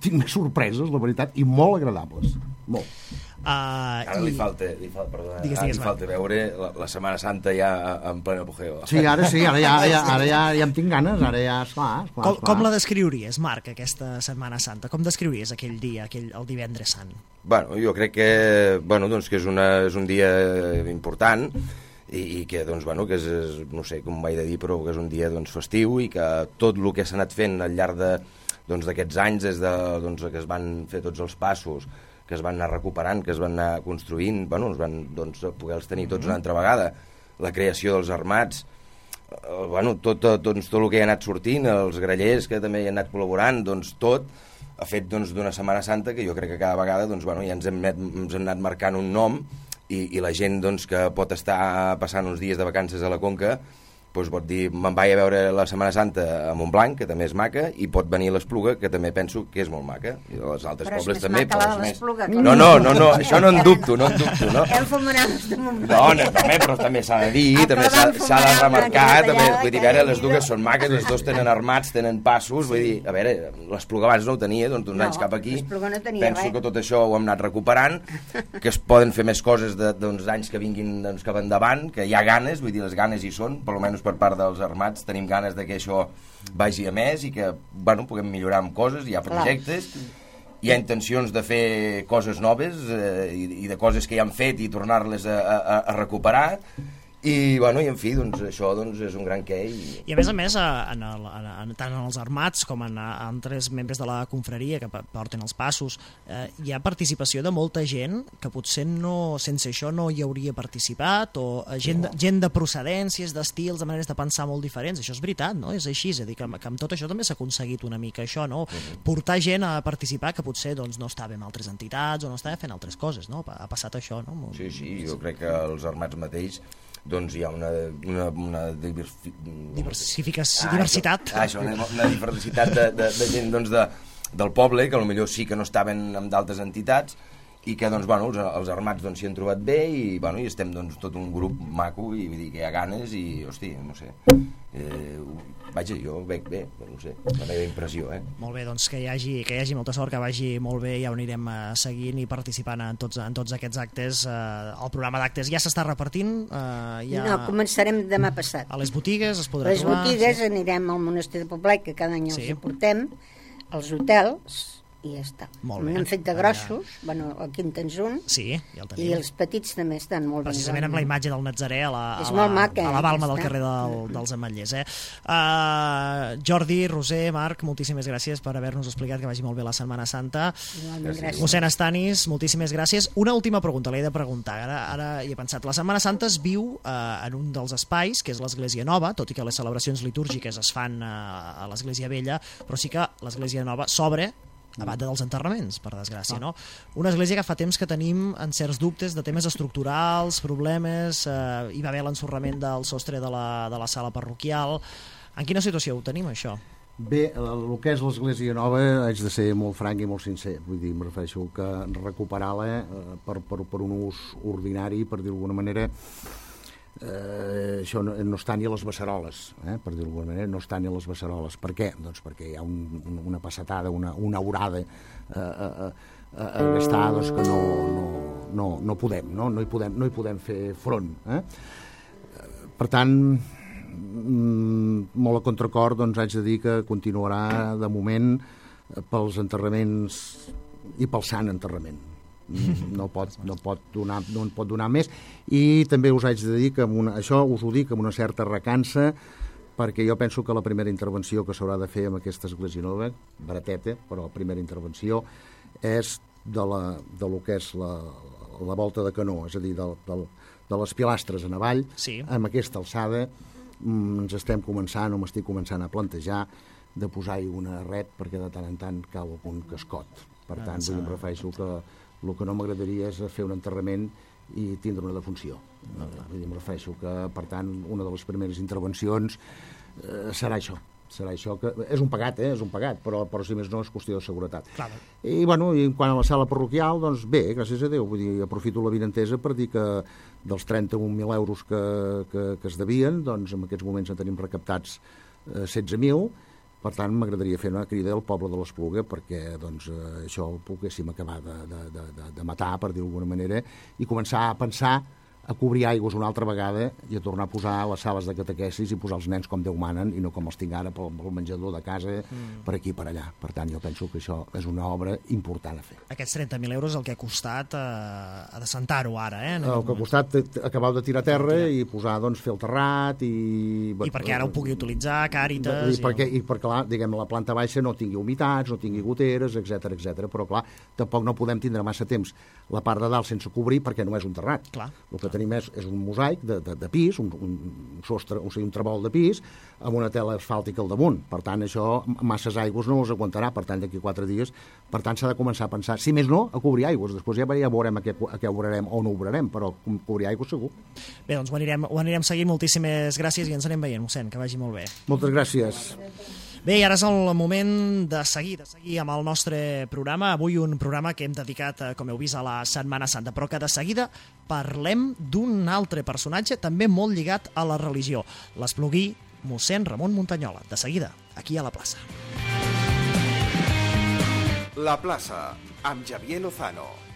tinc més sorpreses, la veritat, i molt agradables, molt. Uh, Ara i... li falta, li falta, perdona, Digues, ara digues, li falta veure la, la Setmana Santa ja en plena apogeo. Sí, ara sí, ara ja, ara ja, ara ja, ja em tinc ganes, ara ja, esclar, esclar, Com, esclar. com la descriuries, Marc, aquesta Setmana Santa? Com descriuries aquell dia, aquell, el divendres sant? Bueno, jo crec que, bueno, doncs que és, una, és un dia important i, i que, doncs, bueno, que és, és, no sé com ho vaig de dir, però que és un dia doncs, festiu i que tot el que s'ha anat fent al llarg de, doncs, d'aquests anys, des de, doncs, que es van fer tots els passos, que es van anar recuperant, que es van anar construint, bueno, es van doncs, poder-los tenir tots una altra vegada, la creació dels armats, eh, bueno, tot, tot, doncs, tot el que hi ha anat sortint, els grallers que també hi han anat col·laborant, doncs tot ha fet doncs, d'una Setmana Santa que jo crec que cada vegada doncs, bueno, ja ens hem, ens hem anat marcant un nom i, i la gent doncs, que pot estar passant uns dies de vacances a la Conca doncs pot dir, me'n vaig a veure la Setmana Santa a Montblanc, que també és maca, i pot venir a l'Espluga, que també penso que és molt maca. I als altres però pobles és també. Però és més l'Espluga. No, no, no, no, això no en dubto, no en dubto, no? El fumaràs de Montblanc. No, no, també, però també s'ha de dir, Ah, també però s'ha s'ha de vam remarcar, fumar també, una vull dir, a veure, les dues són maques, les dos tenen armats, tenen passos, vull dir, a veure, l'Espluga abans no ho tenia, doncs d'uns No, anys cap aquí, l'Espluga no tenia penso res. que tot això ho hem anat recuperant, que es poden fer més coses de, d'uns anys que vinguin doncs, cap endavant, que hi ha ganes, vull dir, les ganes hi són, per almenys per part dels armats, tenim ganes de que això vagi a més i que, bueno, puguem millorar amb coses, hi ha projectes, hi ha intencions de fer coses noves eh, i, i de coses que ja han fet i tornar-les a, a, a recuperar i, bueno, i en fi, doncs això doncs, és un gran què. I, I a més a més, en el, en, tant en els armats com en altres membres de la confraria que porten els passos, eh, hi ha participació de molta gent que potser no, sense això no hi hauria participat, o gent, de, gent de procedències, d'estils, de maneres de pensar molt diferents. Això és veritat, no? És així, és a dir, que, que amb tot això també s'ha aconseguit una mica això, no? Uh-huh. Portar gent a participar que potser doncs, no estava en altres entitats o no estava fent altres coses, no? Ha passat això, no? Sí, sí, jo crec que els armats mateix doncs hi ha una, una, una diversi... Diversificació, ah, diversitat. Això, ah, això, una diversitat de, de, de gent doncs, de, del poble, que potser sí que no estaven en d'altres entitats, i que doncs, bueno, els, els armats doncs, s'hi han trobat bé i, bueno, i estem doncs, tot un grup maco i vull dir que hi ha ganes i, hosti, no sé, eh, vaja, jo veig bé, no sé, la meva impressió, eh? Molt bé, doncs que hi hagi, que hi hagi molta sort, que vagi molt bé, ja ho anirem uh, seguint i participant en tots, en tots aquests actes. Uh, el programa d'actes ja s'està repartint? Uh, ja... No, començarem demà passat. A les botigues es podrà les trobar? Les botigues sí. Anirem al Monestir de Poblet, que cada any sí. els portem, als hotels, i ja està. N'hem fet de grossos, ja. Bueno, aquí en tens un, sí, ja el tenim. I els petits també estan molt precisament ben. Amb la imatge del Natzarè a la, és a la, maca, a la balma del està. carrer del, dels Ametllers. Eh? Uh, Jordi, Roser, Marc, moltíssimes gràcies per haver-nos explicat que vagi molt bé la Setmana Santa. Gràcies. Mossèn Estanis, moltíssimes gràcies. Una última pregunta, l'he de preguntar, ara, ara hi he pensat. La Setmana Santa es viu uh, en un dels espais, que és l'Església Nova, tot i que les celebracions litúrgiques es fan uh, a l'Església Vella, però sí que l'Església Nova s'obre a banda dels enterraments, per desgràcia, no? Una església que fa temps que tenim en certs dubtes de temes estructurals, problemes, eh, hi va haver l'ensorrament del sostre de la, de la sala parroquial. En quina situació ho tenim, això? Bé, el que és l'Església Nova, haig de ser molt franc i molt sincer. Vull dir, em refereixo que recuperar-la eh, per, per, per un ús ordinari, per dir d'alguna manera, Eh, això no, no està ni a les beceroles, eh, per dir-ho d'alguna manera, no està ni a les beceroles. Per què? Doncs perquè hi ha un, una passetada, una, una horada eh, a, a, a gastar doncs, que no, no, no, no podem, no? No, hi podem, no hi podem fer front. Eh? Per tant, molt a contracor, doncs haig de dir que continuarà de moment pels enterraments i pel sant enterrament. No pot, no, pot donar, no en pot donar més, i també us haig de dir que amb una, això us ho dic amb una certa recança, perquè jo penso que la primera intervenció que s'haurà de fer amb aquesta església nova, barateta, però la primera intervenció és de, la, de lo que és la, la volta de canó, és a dir, de, de, de les pilastres en avall, sí. Amb aquesta alçada ens estem començant, o m'estic començant a plantejar de posar-hi una ret, perquè de tant en tant cau algun cascot. Per tant, vull em refereixo que el que no m'agradaria és fer un enterrament i tindre una defunció. Vull dir, em refereixo que, per tant, una de les primeres intervencions eh, serà això. Serà això que... És un pagat, eh? És un pagat, però, però si més no és qüestió de seguretat. Clar. I, bueno, i quant a la sala parroquial, doncs bé, gràcies a Déu. Vull dir, aprofito la vinentesa per dir que dels trenta-un mil euros que, que, que es devien, doncs en aquests moments en tenim recaptats eh, setze mil, Per tant, m'agradaria fer una crida al poble de l'Espluga perquè doncs, eh, això ho poguéssim acabar de, de, de, de matar, per dir-ho d'alguna manera, i començar a pensar a cobrir aigües una altra vegada i a tornar a posar les sales de catequesis i posar els nens com Déu manen i no com els tinc ara pel, pel menjador de casa, mm. per aquí i per allà. Per tant, jo penso que això és una obra important a fer. Aquests trenta mil euros el que ha costat eh, adescentar-ho ara, eh? El que ha costat acabar de tirar terra i posar, doncs, fer el terrat i... I perquè ara ho pugui utilitzar, Càritas... I, i perquè, i perquè clar, diguem, la planta baixa no tingui humitats, no tingui goteres, etcètera, etcètera. Però, clar, tampoc no podem tindre massa temps la part de dalt sense cobrir perquè no és un terrat. Clar. El que tenim és, és un mosaic de, de, de pis, un, un, sostre, o sigui, un trebol de pis, amb una tela asfàltica al damunt. Per tant, això, masses aigües no els aguantarà, per tant, d'aquí quatre dies. Per tant, s'ha de començar a pensar, si més no, a cobrir aigües. Després ja, ja veurem a què, a què obrarem o no obrarem, però cobrir aigües segur. Bé, doncs ho anirem, ho anirem seguint. Moltíssimes gràcies i ens anem veient, mossèn, que vagi molt bé. Moltes gràcies. Bé, i ara és el moment de seguir, de seguir amb el nostre programa. Avui un programa que hem dedicat, com heu vist, a la Setmana Santa, però que de seguida parlem d'un altre personatge també molt lligat a la religió, l'espluguí mossèn Ramon Muntanyola. De seguida, aquí a la plaça. La plaça, amb Xavier Lozano.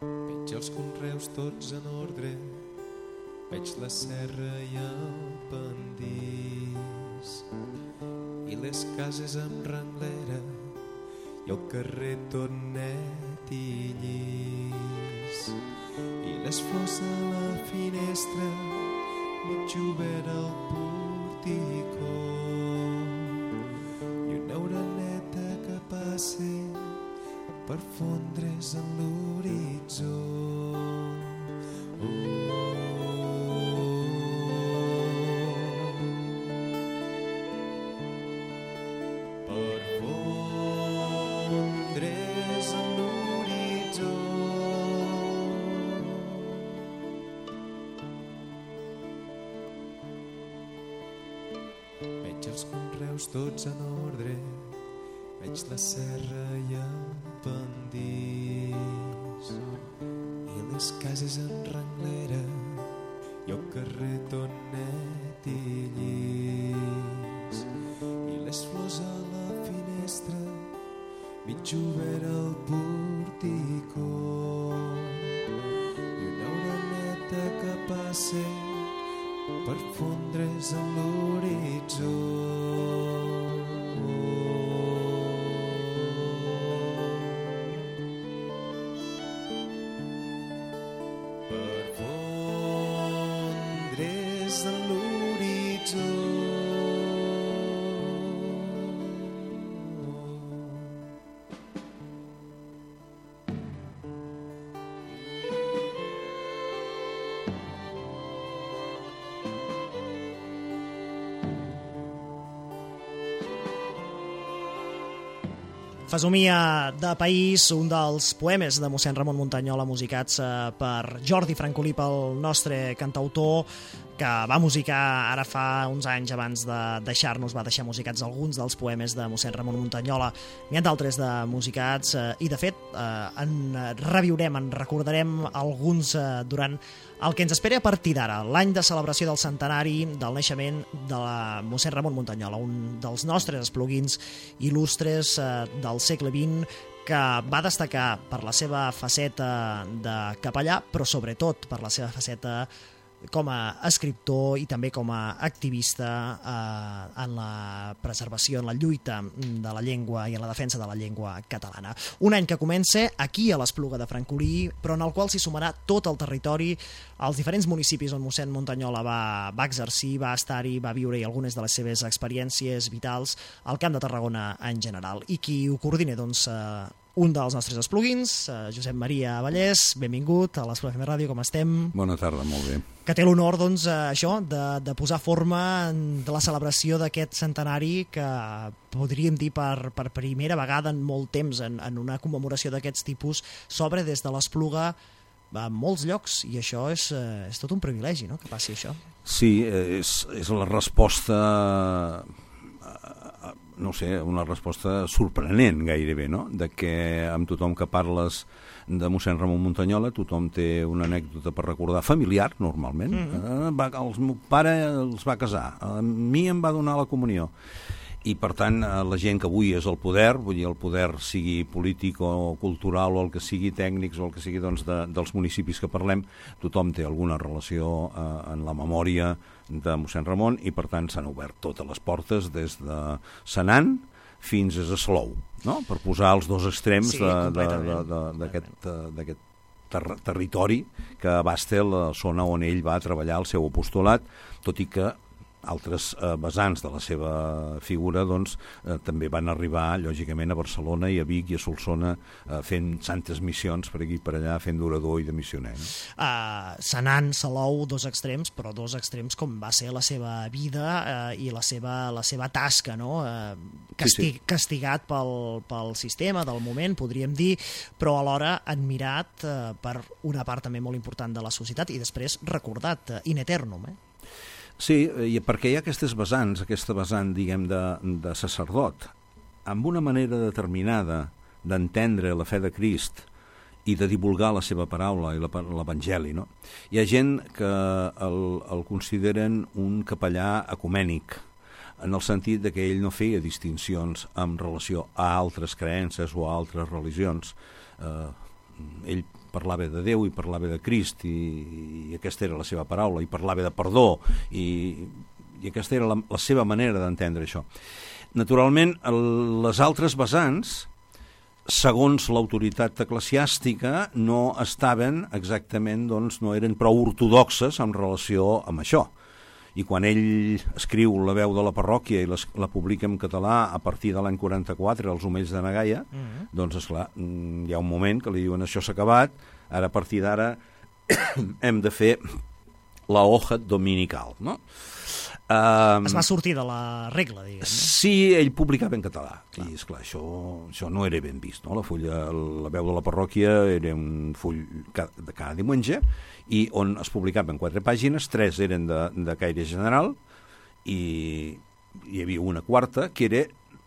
Veig els conreus tots en ordre, veig la serra i el pendís, i les cases amb renglera, i el carrer tot net i llis, i les flors a la finestra, mig obert al porticó, i una oreneta que passa per fondre's en l'horitzó. Per fondre's en l'horitzó. Veig els conreus tots en ordre, veig la serra i el pendís, i les cases en renglera, i el carrer tot net i llis, i les flors a la finestra, mig obert al porticó, i una oreneta que passa per fondre's en l'horitzó. Fesomia de país, un dels poemes de mossèn Ramon Muntanyola musicats per Jordi Francolí, pel nostre cantautor, que va musicar ara fa uns anys abans de deixar-nos, va deixar musicats alguns dels poemes de mossèn Ramon Muntanyola. N'hi ha d'altres de musicats i, de fet, en reviurem, en recordarem alguns durant el que ens espera a partir d'ara, l'any de celebració del centenari del naixement de la mossèn Ramon Muntanyola, un dels nostres espluguins il·lustres del segle vint, que va destacar per la seva faceta de capellà, però sobretot per la seva faceta com a escriptor i també com a activista eh, en la preservació, en la lluita de la llengua i en la defensa de la llengua catalana. Un any que comença aquí a l'Espluga de Francolí, però en el qual s'hi sumarà tot el territori, els diferents municipis on mossèn Muntanyola va, va exercir, va estar-hi, va viure-hi algunes de les seves experiències vitals al Camp de Tarragona en general. I qui ho coordina, doncs, eh, un dels nostres espluguins, eh, Josep Maria Vallès, benvingut a l'Espluga F M Ràdio, com estem? Bona tarda, molt bé. Que té l'honor, doncs, eh, això, de, de posar forma en la celebració d'aquest centenari que podríem dir per, per primera vegada en molt temps, en, en una commemoració d'aquests tipus, s'obre des de l'Espluga a molts llocs, i això és, eh, és tot un privilegi, no?, que passi això. Sí, és, és la resposta... no sé, una resposta sorprenent gairebé, no?, de que amb tothom que parles de mossèn Ramon Muntanyola tothom té una anècdota per recordar, familiar normalment. Mm-hmm. eh, va, el meu pare els va casar, a mi em va donar la comunió, i per tant la gent que avui és el poder, vull dir el poder sigui polític o cultural o el que sigui tècnics o el que sigui, doncs, de, dels municipis que parlem, tothom té alguna relació eh, en la memòria de mossèn Ramon, i per tant s'han obert totes les portes des de Senan fins a Salou, no?, per posar els dos extrems sí, d'aquest ter territori que abasta la zona on ell va treballar el seu apostolat, tot i que altres eh, vessants de la seva figura, doncs, eh, també van arribar, lògicament, a Barcelona i a Vic i a Solsona, eh, fent santes missions per aquí i per allà, fent d'orador i de missioner. No? Uh, Senan, Salou, dos extrems, però dos extrems com va ser la seva vida uh, i la seva, la seva tasca, no? Uh, castig, sí, sí. Castigat pel, pel sistema del moment, podríem dir, però alhora admirat uh, per una part també molt important de la societat i després recordat, uh, in eternum, eh? Sí, i perquè hi ha aquestes vessants, aquesta vessant, diguem, de, de sacerdot, amb una manera determinada d'entendre la fe de Crist i de divulgar la seva paraula i l'Evangeli, no? Hi ha gent que el, el consideren un capellà ecumènic, en el sentit de que ell no feia distincions en relació a altres creences o a altres religions. Eh, ell parlava de Déu i parlava de Crist, i, i aquesta era la seva paraula, i parlava de perdó, i, i aquesta era la, la seva manera d'entendre això. Naturalment, el, les altres vessants, segons l'autoritat eclesiàstica, no estaven exactament, doncs, no eren prou ortodoxes en relació amb això. I quan ell escriu La veu de la parròquia i les, la publica en català a partir de l'any quaranta-quatre, Els omells de na Gaia, mm-hmm. doncs, esclar, hi ha un moment que li diuen això s'ha acabat, ara a partir d'ara hem de fer la hoja dominical, no? Um, es va sortir de la regla, diguem, no? Sí, ell publicava en català, clar. I esclar, això, això no era ben vist, no? La fulla, La veu de la parròquia era un full de cada diumenge, i on es publicaven quatre pàgines, tres eren de, de caire general, i hi havia una quarta que era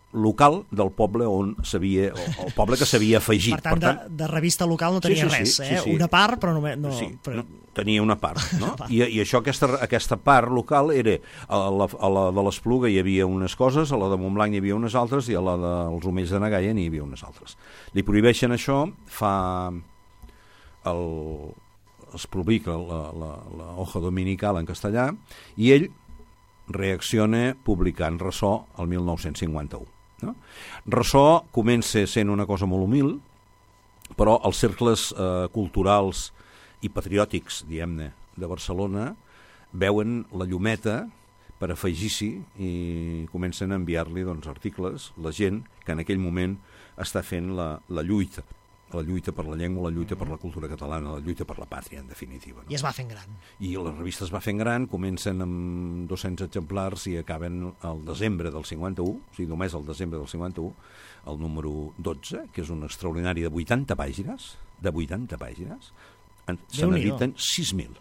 local del poble on s'havia, el poble que s'havia afegit. Per tant, per tant de, de revista local no tenia sí, sí, res, sí, eh? Sí, sí. Una part, però només... No, sí, però... no, tenia una part, no? I, i això, aquesta, aquesta part local era, a la, a la de l'Espluga hi havia unes coses, a la de Montblanc hi havia unes altres, i a la dels Omells de na Gaia n'hi havia unes altres. Li prohibeixen això, fa... El, es publica la, la, la hoja dominical en castellà, i ell reacciona publicant Ressò el mil nou-cents cinquanta-u. No? Ressò comença sent una cosa molt humil, però els cercles eh, culturals i patriòtics, diguem-ne, de Barcelona veuen la llumeta per afegir-s'hi i comencen a enviar-li, doncs, articles, la gent que en aquell moment està fent la, la lluita, la lluita per la llengua, la lluita per la cultura catalana, la lluita per la pàtria, en definitiva. No? I es va fent gran. I la revista es va fent gran, comencen amb dos-cents exemplars i acaben al desembre del cinquanta-u, o sigui, només al desembre del cinquanta-u, el número dotze, que és un extraordinari de vuitanta pàgines, de vuitanta pàgines, se n'editen sis mil.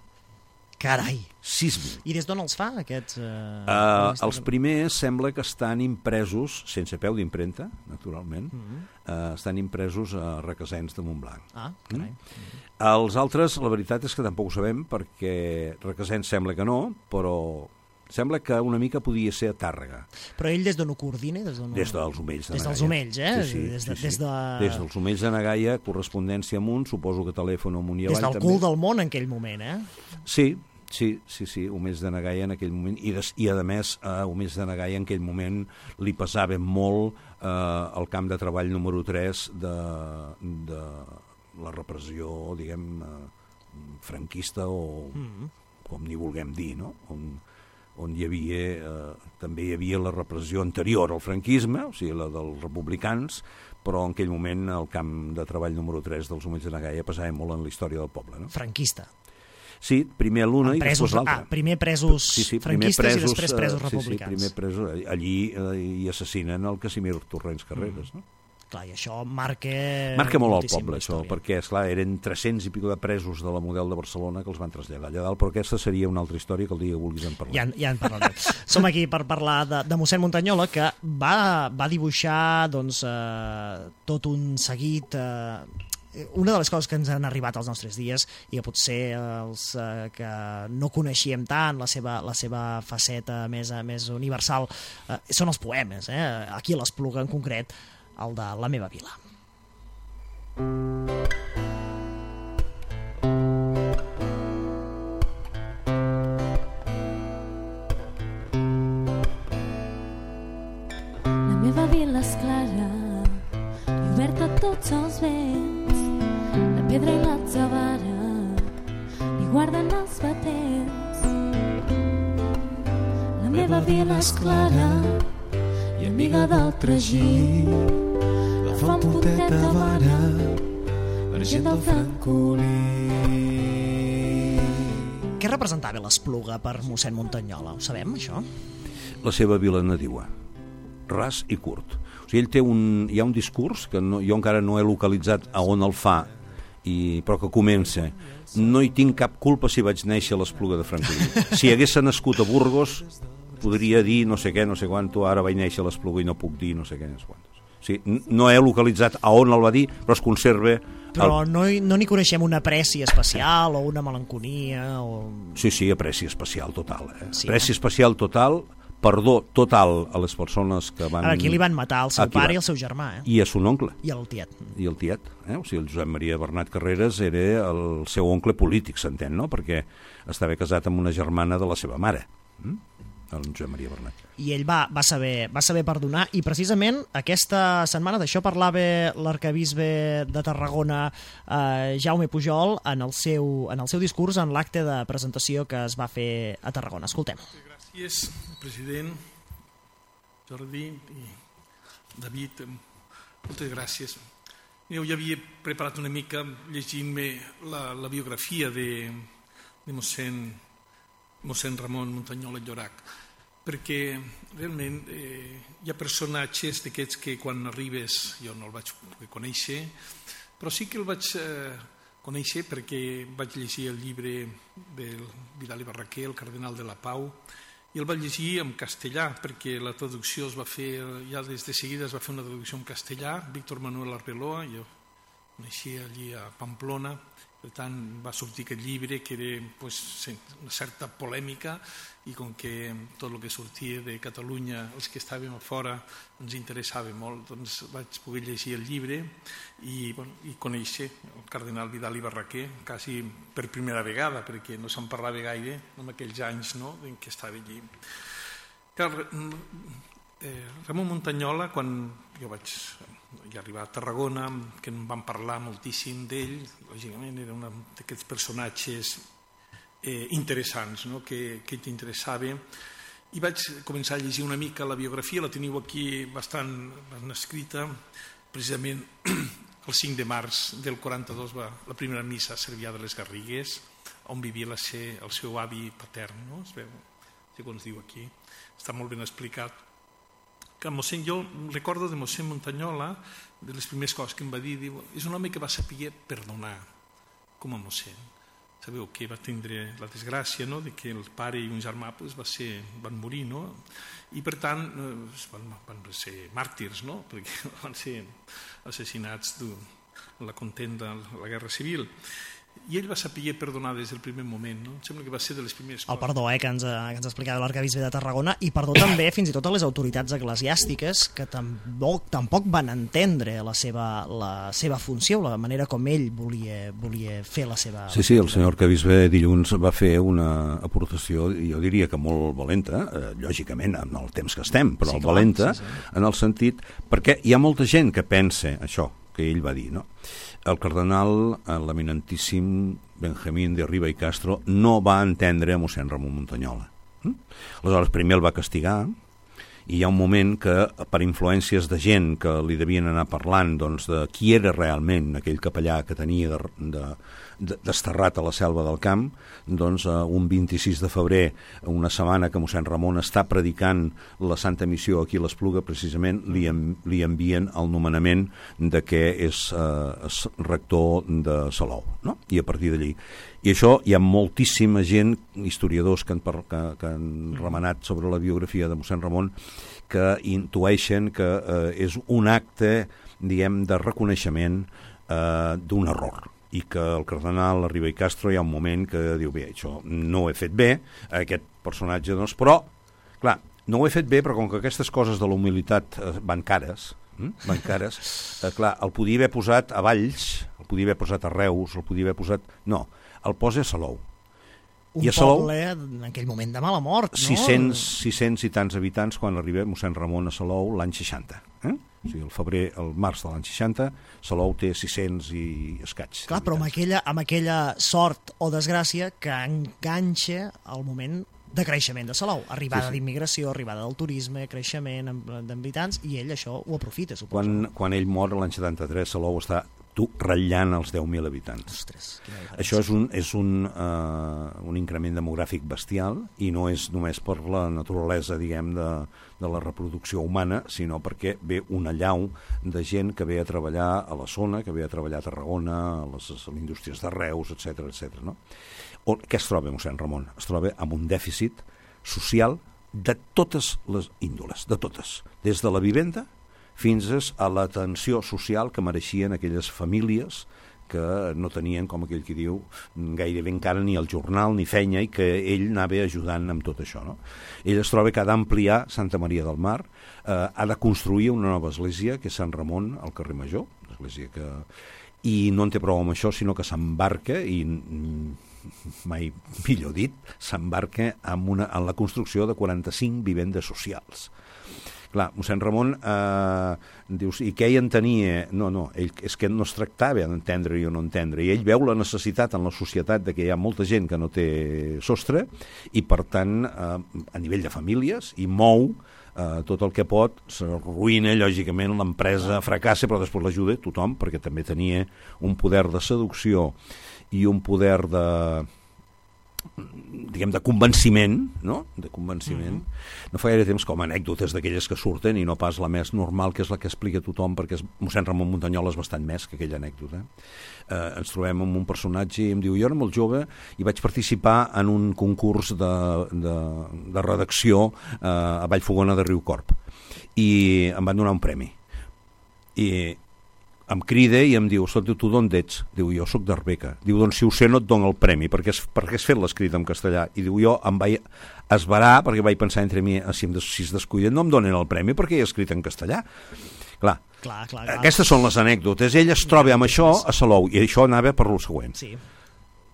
Carai! sis mil. I des d'on els fa, aquests? Eh, uh, els primers sembla que estan impresos, sense peu d'impremta, naturalment, mm -hmm. uh, estan impresos a Requesens de Montblanc. Ah, carai. Mm? -hmm. Els altres, la veritat és que tampoc ho sabem, perquè Requesens sembla que no, però sembla que una mica podia ser a Tàrrega. Però ell des d'on ho coordina? Des, ho... des dels Omells de Des na Gaia. dels Omells, eh? Sí, sí, des, de, sí, sí. Des, de... des dels Omells de na Gaia, correspondència amunt, suposo que telèfon amunt i avall. Des del també. cul del món en aquell moment, eh? Sí, Sí, sí, sí, Omés de Nagaia en aquell moment, i, des, i a més a Omés de Nagaia en aquell moment li pesava molt eh, el camp de treball número tres de, de la repressió, diguem, eh, franquista o mm-hmm. com n'hi vulguem dir, no? On, on hi havia, eh, també hi havia la repressió anterior al franquisme, o sigui, la dels republicans, però en aquell moment el camp de treball número tres dels Omells de Nagaia pesava molt en la història del poble. No? Franquista. Sí, primer l'una i després l'altra. Ah, primer presos sí, sí, primer franquistes presos, i després presos republicans. Sí, sí, primer presos, allí eh, hi assassinen el Casimir Torrents Carreras, mm. no? Clar, i això marca... Marca molt al poble, això, perquè, esclar, eren tres-cents i pico de presos de la Model de Barcelona que els van traslladar allà dalt, però aquesta seria una altra història que el dia que vulguis en parlar. Ja, ja en parlarem. Som aquí per parlar de, de mossèn Muntanyola, que va, va dibuixar doncs, eh, tot un seguit... Eh, una de les coses que ens han arribat als nostres dies i que potser els eh, que no coneixíem tant la seva, la seva faceta més, més universal eh, són els poemes, eh? Aquí a l'Espluga en concret, el de La meva vila. La meva vila és clara i oberta a tots els vents, la pedra i l'atzavara li guarden els batents. La meva vila és clara i amiga del tragí, la font poteta vara, argent del francolí. Què representava l'Espluga per mossèn Muntanyola? Ho sabem, això? La seva vila nadiua, ras i curt. O sigui, ell té un, hi ha un discurs que no, jo encara no he localitzat a on el fa, i, però que comença: no hi tinc cap culpa si vaig néixer a l'Espluga de Francolí. Si hagués nascut a Burgos podria dir no sé què, no sé quanto, ara vaig néixer a l'Espluga i no puc dir no sé què, no sé quantos. O sigui, no he localitzat a on el va dir, però es conserva... Però el... no, no n'hi coneixem una apreci especial o una melanconia o... Sí, sí, apreci especial total. Eh? Sí, apreci eh? especial total, perdó total a les persones que van... Ara, aquí li van matar el seu pare va... i el seu germà, eh? I a son oncle. I el tiet. I el tiet, eh? O sigui, el Josep Maria Bernat Carreras era el seu oncle polític, s'entén, no? Perquè estava casat amb una germana de la seva mare. Mm? El Josep Maria Bernat. I ell va, va, saber, va saber perdonar, i precisament aquesta setmana d'això parlava l'arquebisbe de Tarragona, eh, Jaume Pujol, en el, seu, en el seu discurs en l'acte de presentació que es va fer a Tarragona. Escoltem. Gràcies, president, Jordi i David, moltes gràcies. Jo ja havia preparat una mica llegint-me la, la biografia de, de mossèn mossèn Ramon Muntanyola Llorac, perquè realment eh, hi ha personatges d'aquests que quan arribes, jo no el vaig conèixer, però sí que el vaig eh, conèixer perquè vaig llegir el llibre del Vidal i Barraquer, El cardenal de la Pau, i el vaig llegir en castellà, perquè la traducció es va fer, ja des de seguida es va fer una traducció en castellà, Víctor Manuel Arbeloa, jo coneixia allí a Pamplona. Per tant, va sortir aquest llibre que era pues, una certa polèmica, i com que tot el que sortia de Catalunya, els que estàvem a fora, ens interessava molt, doncs vaig poder llegir el llibre i, bueno, i conèixer el cardenal Vidal i Barraquer quasi per primera vegada, perquè no se'n parlava gaire en aquells anys, no?, en què estava allí. Eh, Ramon Muntanyola, quan jo vaig ja arribar a Tarragona, que em van parlar moltíssim d'ell, lògicament era un d'aquests personatges eh, interessants, no?, que, que t'interessava, i vaig començar a llegir una mica la biografia, la teniu aquí bastant, bastant escrita, precisament el cinc de març del quaranta-dos va la primera missa a Cervià de les Garrigues, on vivia la ser, el seu avi patern, no? Es veu, segons diu aquí, està molt ben explicat. Que mossèn, jo recordo de mossèn Muntanyola, de les primeres coses que em va dir, diu, és un home que va saber perdonar com a mossèn. Sabeu que va tindre la desgràcia, no?, de que el pare i un germà pues, va ser, van morir, no?, i per tant van, van ser màrtirs, no?, perquè van ser assassinats en la contenda, la guerra civil. i ell va saber perdonar des del primer moment, no? Em sembla que va ser de les primeres coses. El perdó, eh, que ens, que ens explicava l'arquebisbe de Tarragona, i perdó també fins i tot a les autoritats eclesiàstiques que tampoc, tampoc van entendre la seva, la seva funció, la manera com ell volia, volia fer la seva... Sí, sí, el senyor arquebisbe dilluns va fer una aportació, jo diria que molt valenta, eh, lògicament en el temps que estem, però sí, clar, valenta, sí, sí. En el sentit, perquè hi ha molta gent que pensa això que ell va dir, no? El cardenal, l'eminentíssim Benjamín de Riba i Castro, no va entendre a mossèn Ramon Muntanyola. Mm? Aleshores, primer el va castigar, i hi ha un moment que, per influències de gent que li devien anar parlant doncs, de qui era realment aquell capellà que tenia de, de, de, desterrat a la selva del camp, doncs uh, un vint-i-sis de febrer, una setmana que mossèn Ramon està predicant la Santa Missió aquí a l'Espluga, precisament li, en, li envien el nomenament de que és uh, rector de Salou, no? I a partir d'allí. I això hi ha moltíssima gent, historiadors que han, par que, que han remenat sobre la biografia de mossèn Ramon, que intueixen que eh, és un acte, diguem, de reconeixement eh, d'un error, i que el cardenal Riba i Castro hi ha un moment que diu, bé, això no ho he fet bé, aquest personatge, doncs, però, clar, no ho he fet bé, però com que aquestes coses de la humilitat eh, van cares, hm? van cares, eh, clar, el podia haver posat a Valls, el podia haver posat a Reus, el podia haver posat... No, el posa a Salou. Un I a Salou, poble en aquell moment de mala mort, no? sis cents, sis cents i tants habitants quan arriba mossèn Ramon a Salou l'any seixanta. Eh? O sigui, el febrer, el març de l'any seixanta, Salou té sis cents i escaig. Clar, però amb aquella, amb aquella sort o desgràcia que enganxa el moment de creixement de Salou, arribada sí, sí. d'immigració, arribada del turisme, creixement d'habitants, i ell això ho aprofita, suposo. Quan, quan ell mor l'any setanta-tres, Salou està tu ratllant els deu mil habitants. Ostres, això és, un, és un, uh, un increment demogràfic bestial, i no és només per la naturalesa, diguem, de, de la reproducció humana, sinó perquè ve una llau de gent que ve a treballar a la zona, que ve a treballar a Tarragona, a les, a les indústries de Reus, etcètera, etcètera, no? O, què es troba mossèn Ramon? Es troba amb un dèficit social de totes les índoles, de totes, des de la vivenda fins a l'atenció social que mereixien aquelles famílies que no tenien, com aquell que diu, gairebé encara ni el jornal ni feina, i que ell anava ajudant amb tot això, no? Ell es troba que ha d'ampliar Santa Maria del Mar, eh, ha de construir una nova església, que és Sant Ramon al carrer Major, església que... i no en té prou amb això, sinó que s'embarca, i mai millor dit, s'embarca en, una, en la construcció de quaranta-cinc vivendes socials. Clar, mossèn Ramon eh, dius, i què hi entenia? No, no, ell, és que no es tractava d'entendre o no entendre, i ell veu la necessitat en la societat de que hi ha molta gent que no té sostre, i per tant, eh, a nivell de famílies, i mou eh, tot el que pot, s'arruïna, lògicament, l'empresa fracassa, però després l'ajuda tothom, perquè també tenia un poder de seducció i un poder de... diguem, de convenciment, no? De convenciment. Mm-hmm. No fa gaire temps com anècdotes d'aquelles que surten, i no pas la més normal, que és la que explica tothom, perquè mossèn Ramon Muntanyola és bastant més que aquella anècdota. Eh, ens trobem amb un personatge i em diu, jo era molt jove i vaig participar en un concurs de, de, de redacció eh, a Vallfogona de Riucorb, i em van donar un premi. I em crida i em diu, escolta, tu d'on ets? Diu, jo sóc d'Arbeca. Diu, doncs si ho sé no et dono el premi, perquè has, perquè has fet l'escrit en castellà. I diu, jo em vaig esverar, perquè vaig pensar entre mi, si, em des, si es descuiden no em donen el premi perquè he escrit en castellà. Clar, clar, clar, clar. Aquestes són les anècdotes. Ell es troba amb això a Salou, i això anava per lo següent. Sí.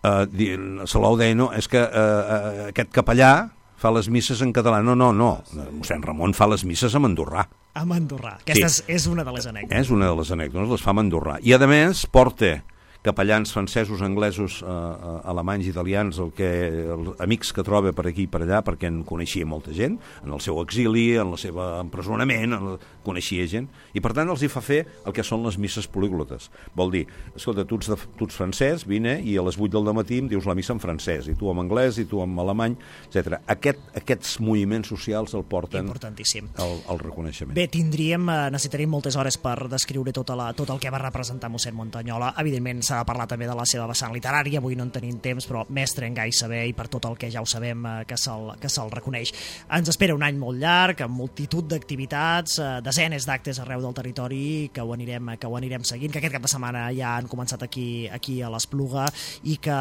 Uh, Salou deia, no, és que uh, uh, aquest capellà fa les misses en català. No, no, no. Mossèn Ramon fa les misses en andorrà. En andorrà. Aquesta sí. és, és una de les anècdotes. És una de les anècdotes, les fa en andorrà. I, a més, porta capellans francesos, anglesos, eh, alemanys, italians, el que, els amics que troba per aquí i per allà, perquè en coneixia molta gent, en el seu exili, en el seu empresonament, en el... coneixia gent, i per tant els hi fa fer el que són les misses políglotes. Vol dir, escolta, tu ets, de, tu ets francès, vine, i a les vuit del dematí em dius la missa en francès, i tu en anglès, i tu en alemany, etcètera. Aquest, aquests moviments socials el porten al, al reconeixement. Bé, tindríem, necessitaríem moltes hores per descriure tota la, tot el que va representar mossèn Muntanyola. Evidentment, s'ha de parlar també de la seva vessant literària, avui no en tenim temps, però mestre en gai saber, i per tot el que ja ho sabem eh, que se'l que se'l reconeix. Ens espera un any molt llarg, amb multitud d'activitats, eh, desenes d'actes arreu del territori que ho anirem, que ho anirem seguint, que aquest cap de setmana ja han començat aquí, aquí a l'Espluga i que,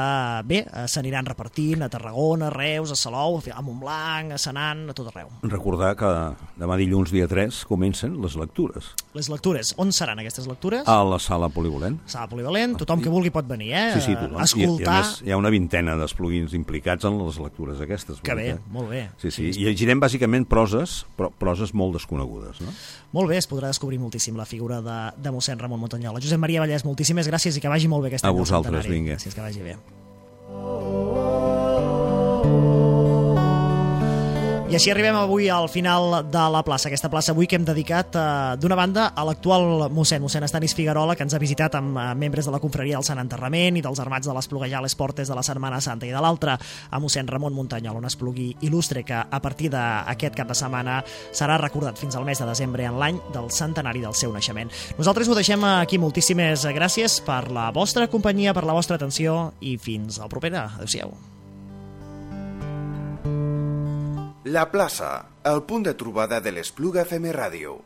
bé, eh, s'aniran repartint a Tarragona, a Reus, a Salou, a Montblanc, a Senan, a tot arreu. Recordar que demà dilluns, dia tres, comencen les lectures. Les lectures. On seran aquestes lectures? A la sala polivalent. Sala polivalent, tothom que vulgui pot venir, eh? Sí, sí, tothom. Escoltar... I, i a més, hi ha una vintena d'espluguins implicats en les lectures aquestes. Que bé, molt bé. Sí, sí, i llegirem bàsicament proses, però proses molt desconegudes, no? Molt bé, es podrà descobrir moltíssim la figura de, de mossèn Ramon Muntanyola. Josep Maria Vallès, moltíssimes gràcies i que vagi molt bé aquest any del centenari. A vosaltres, vinga. Gràcies, que vagi bé. I així arribem avui al final de la plaça, aquesta plaça avui que hem dedicat eh, d'una banda a l'actual mossèn, mossèn Estanis Figuerola, que ens ha visitat amb eh, membres de la confraria del Sant Enterrament i dels armats de l'Espluga a les portes de la Setmana Santa, i de l'altra a mossèn Ramon Muntanyola, un esplugui il·lustre que a partir d'aquest cap de setmana serà recordat fins al mes de desembre en l'any del centenari del seu naixement. Nosaltres ho deixem aquí, moltíssimes gràcies per la vostra companyia, per la vostra atenció i fins al proper. Adéu-siau. La plaça, el punt de trobada de l'Espluga F M Ràdio.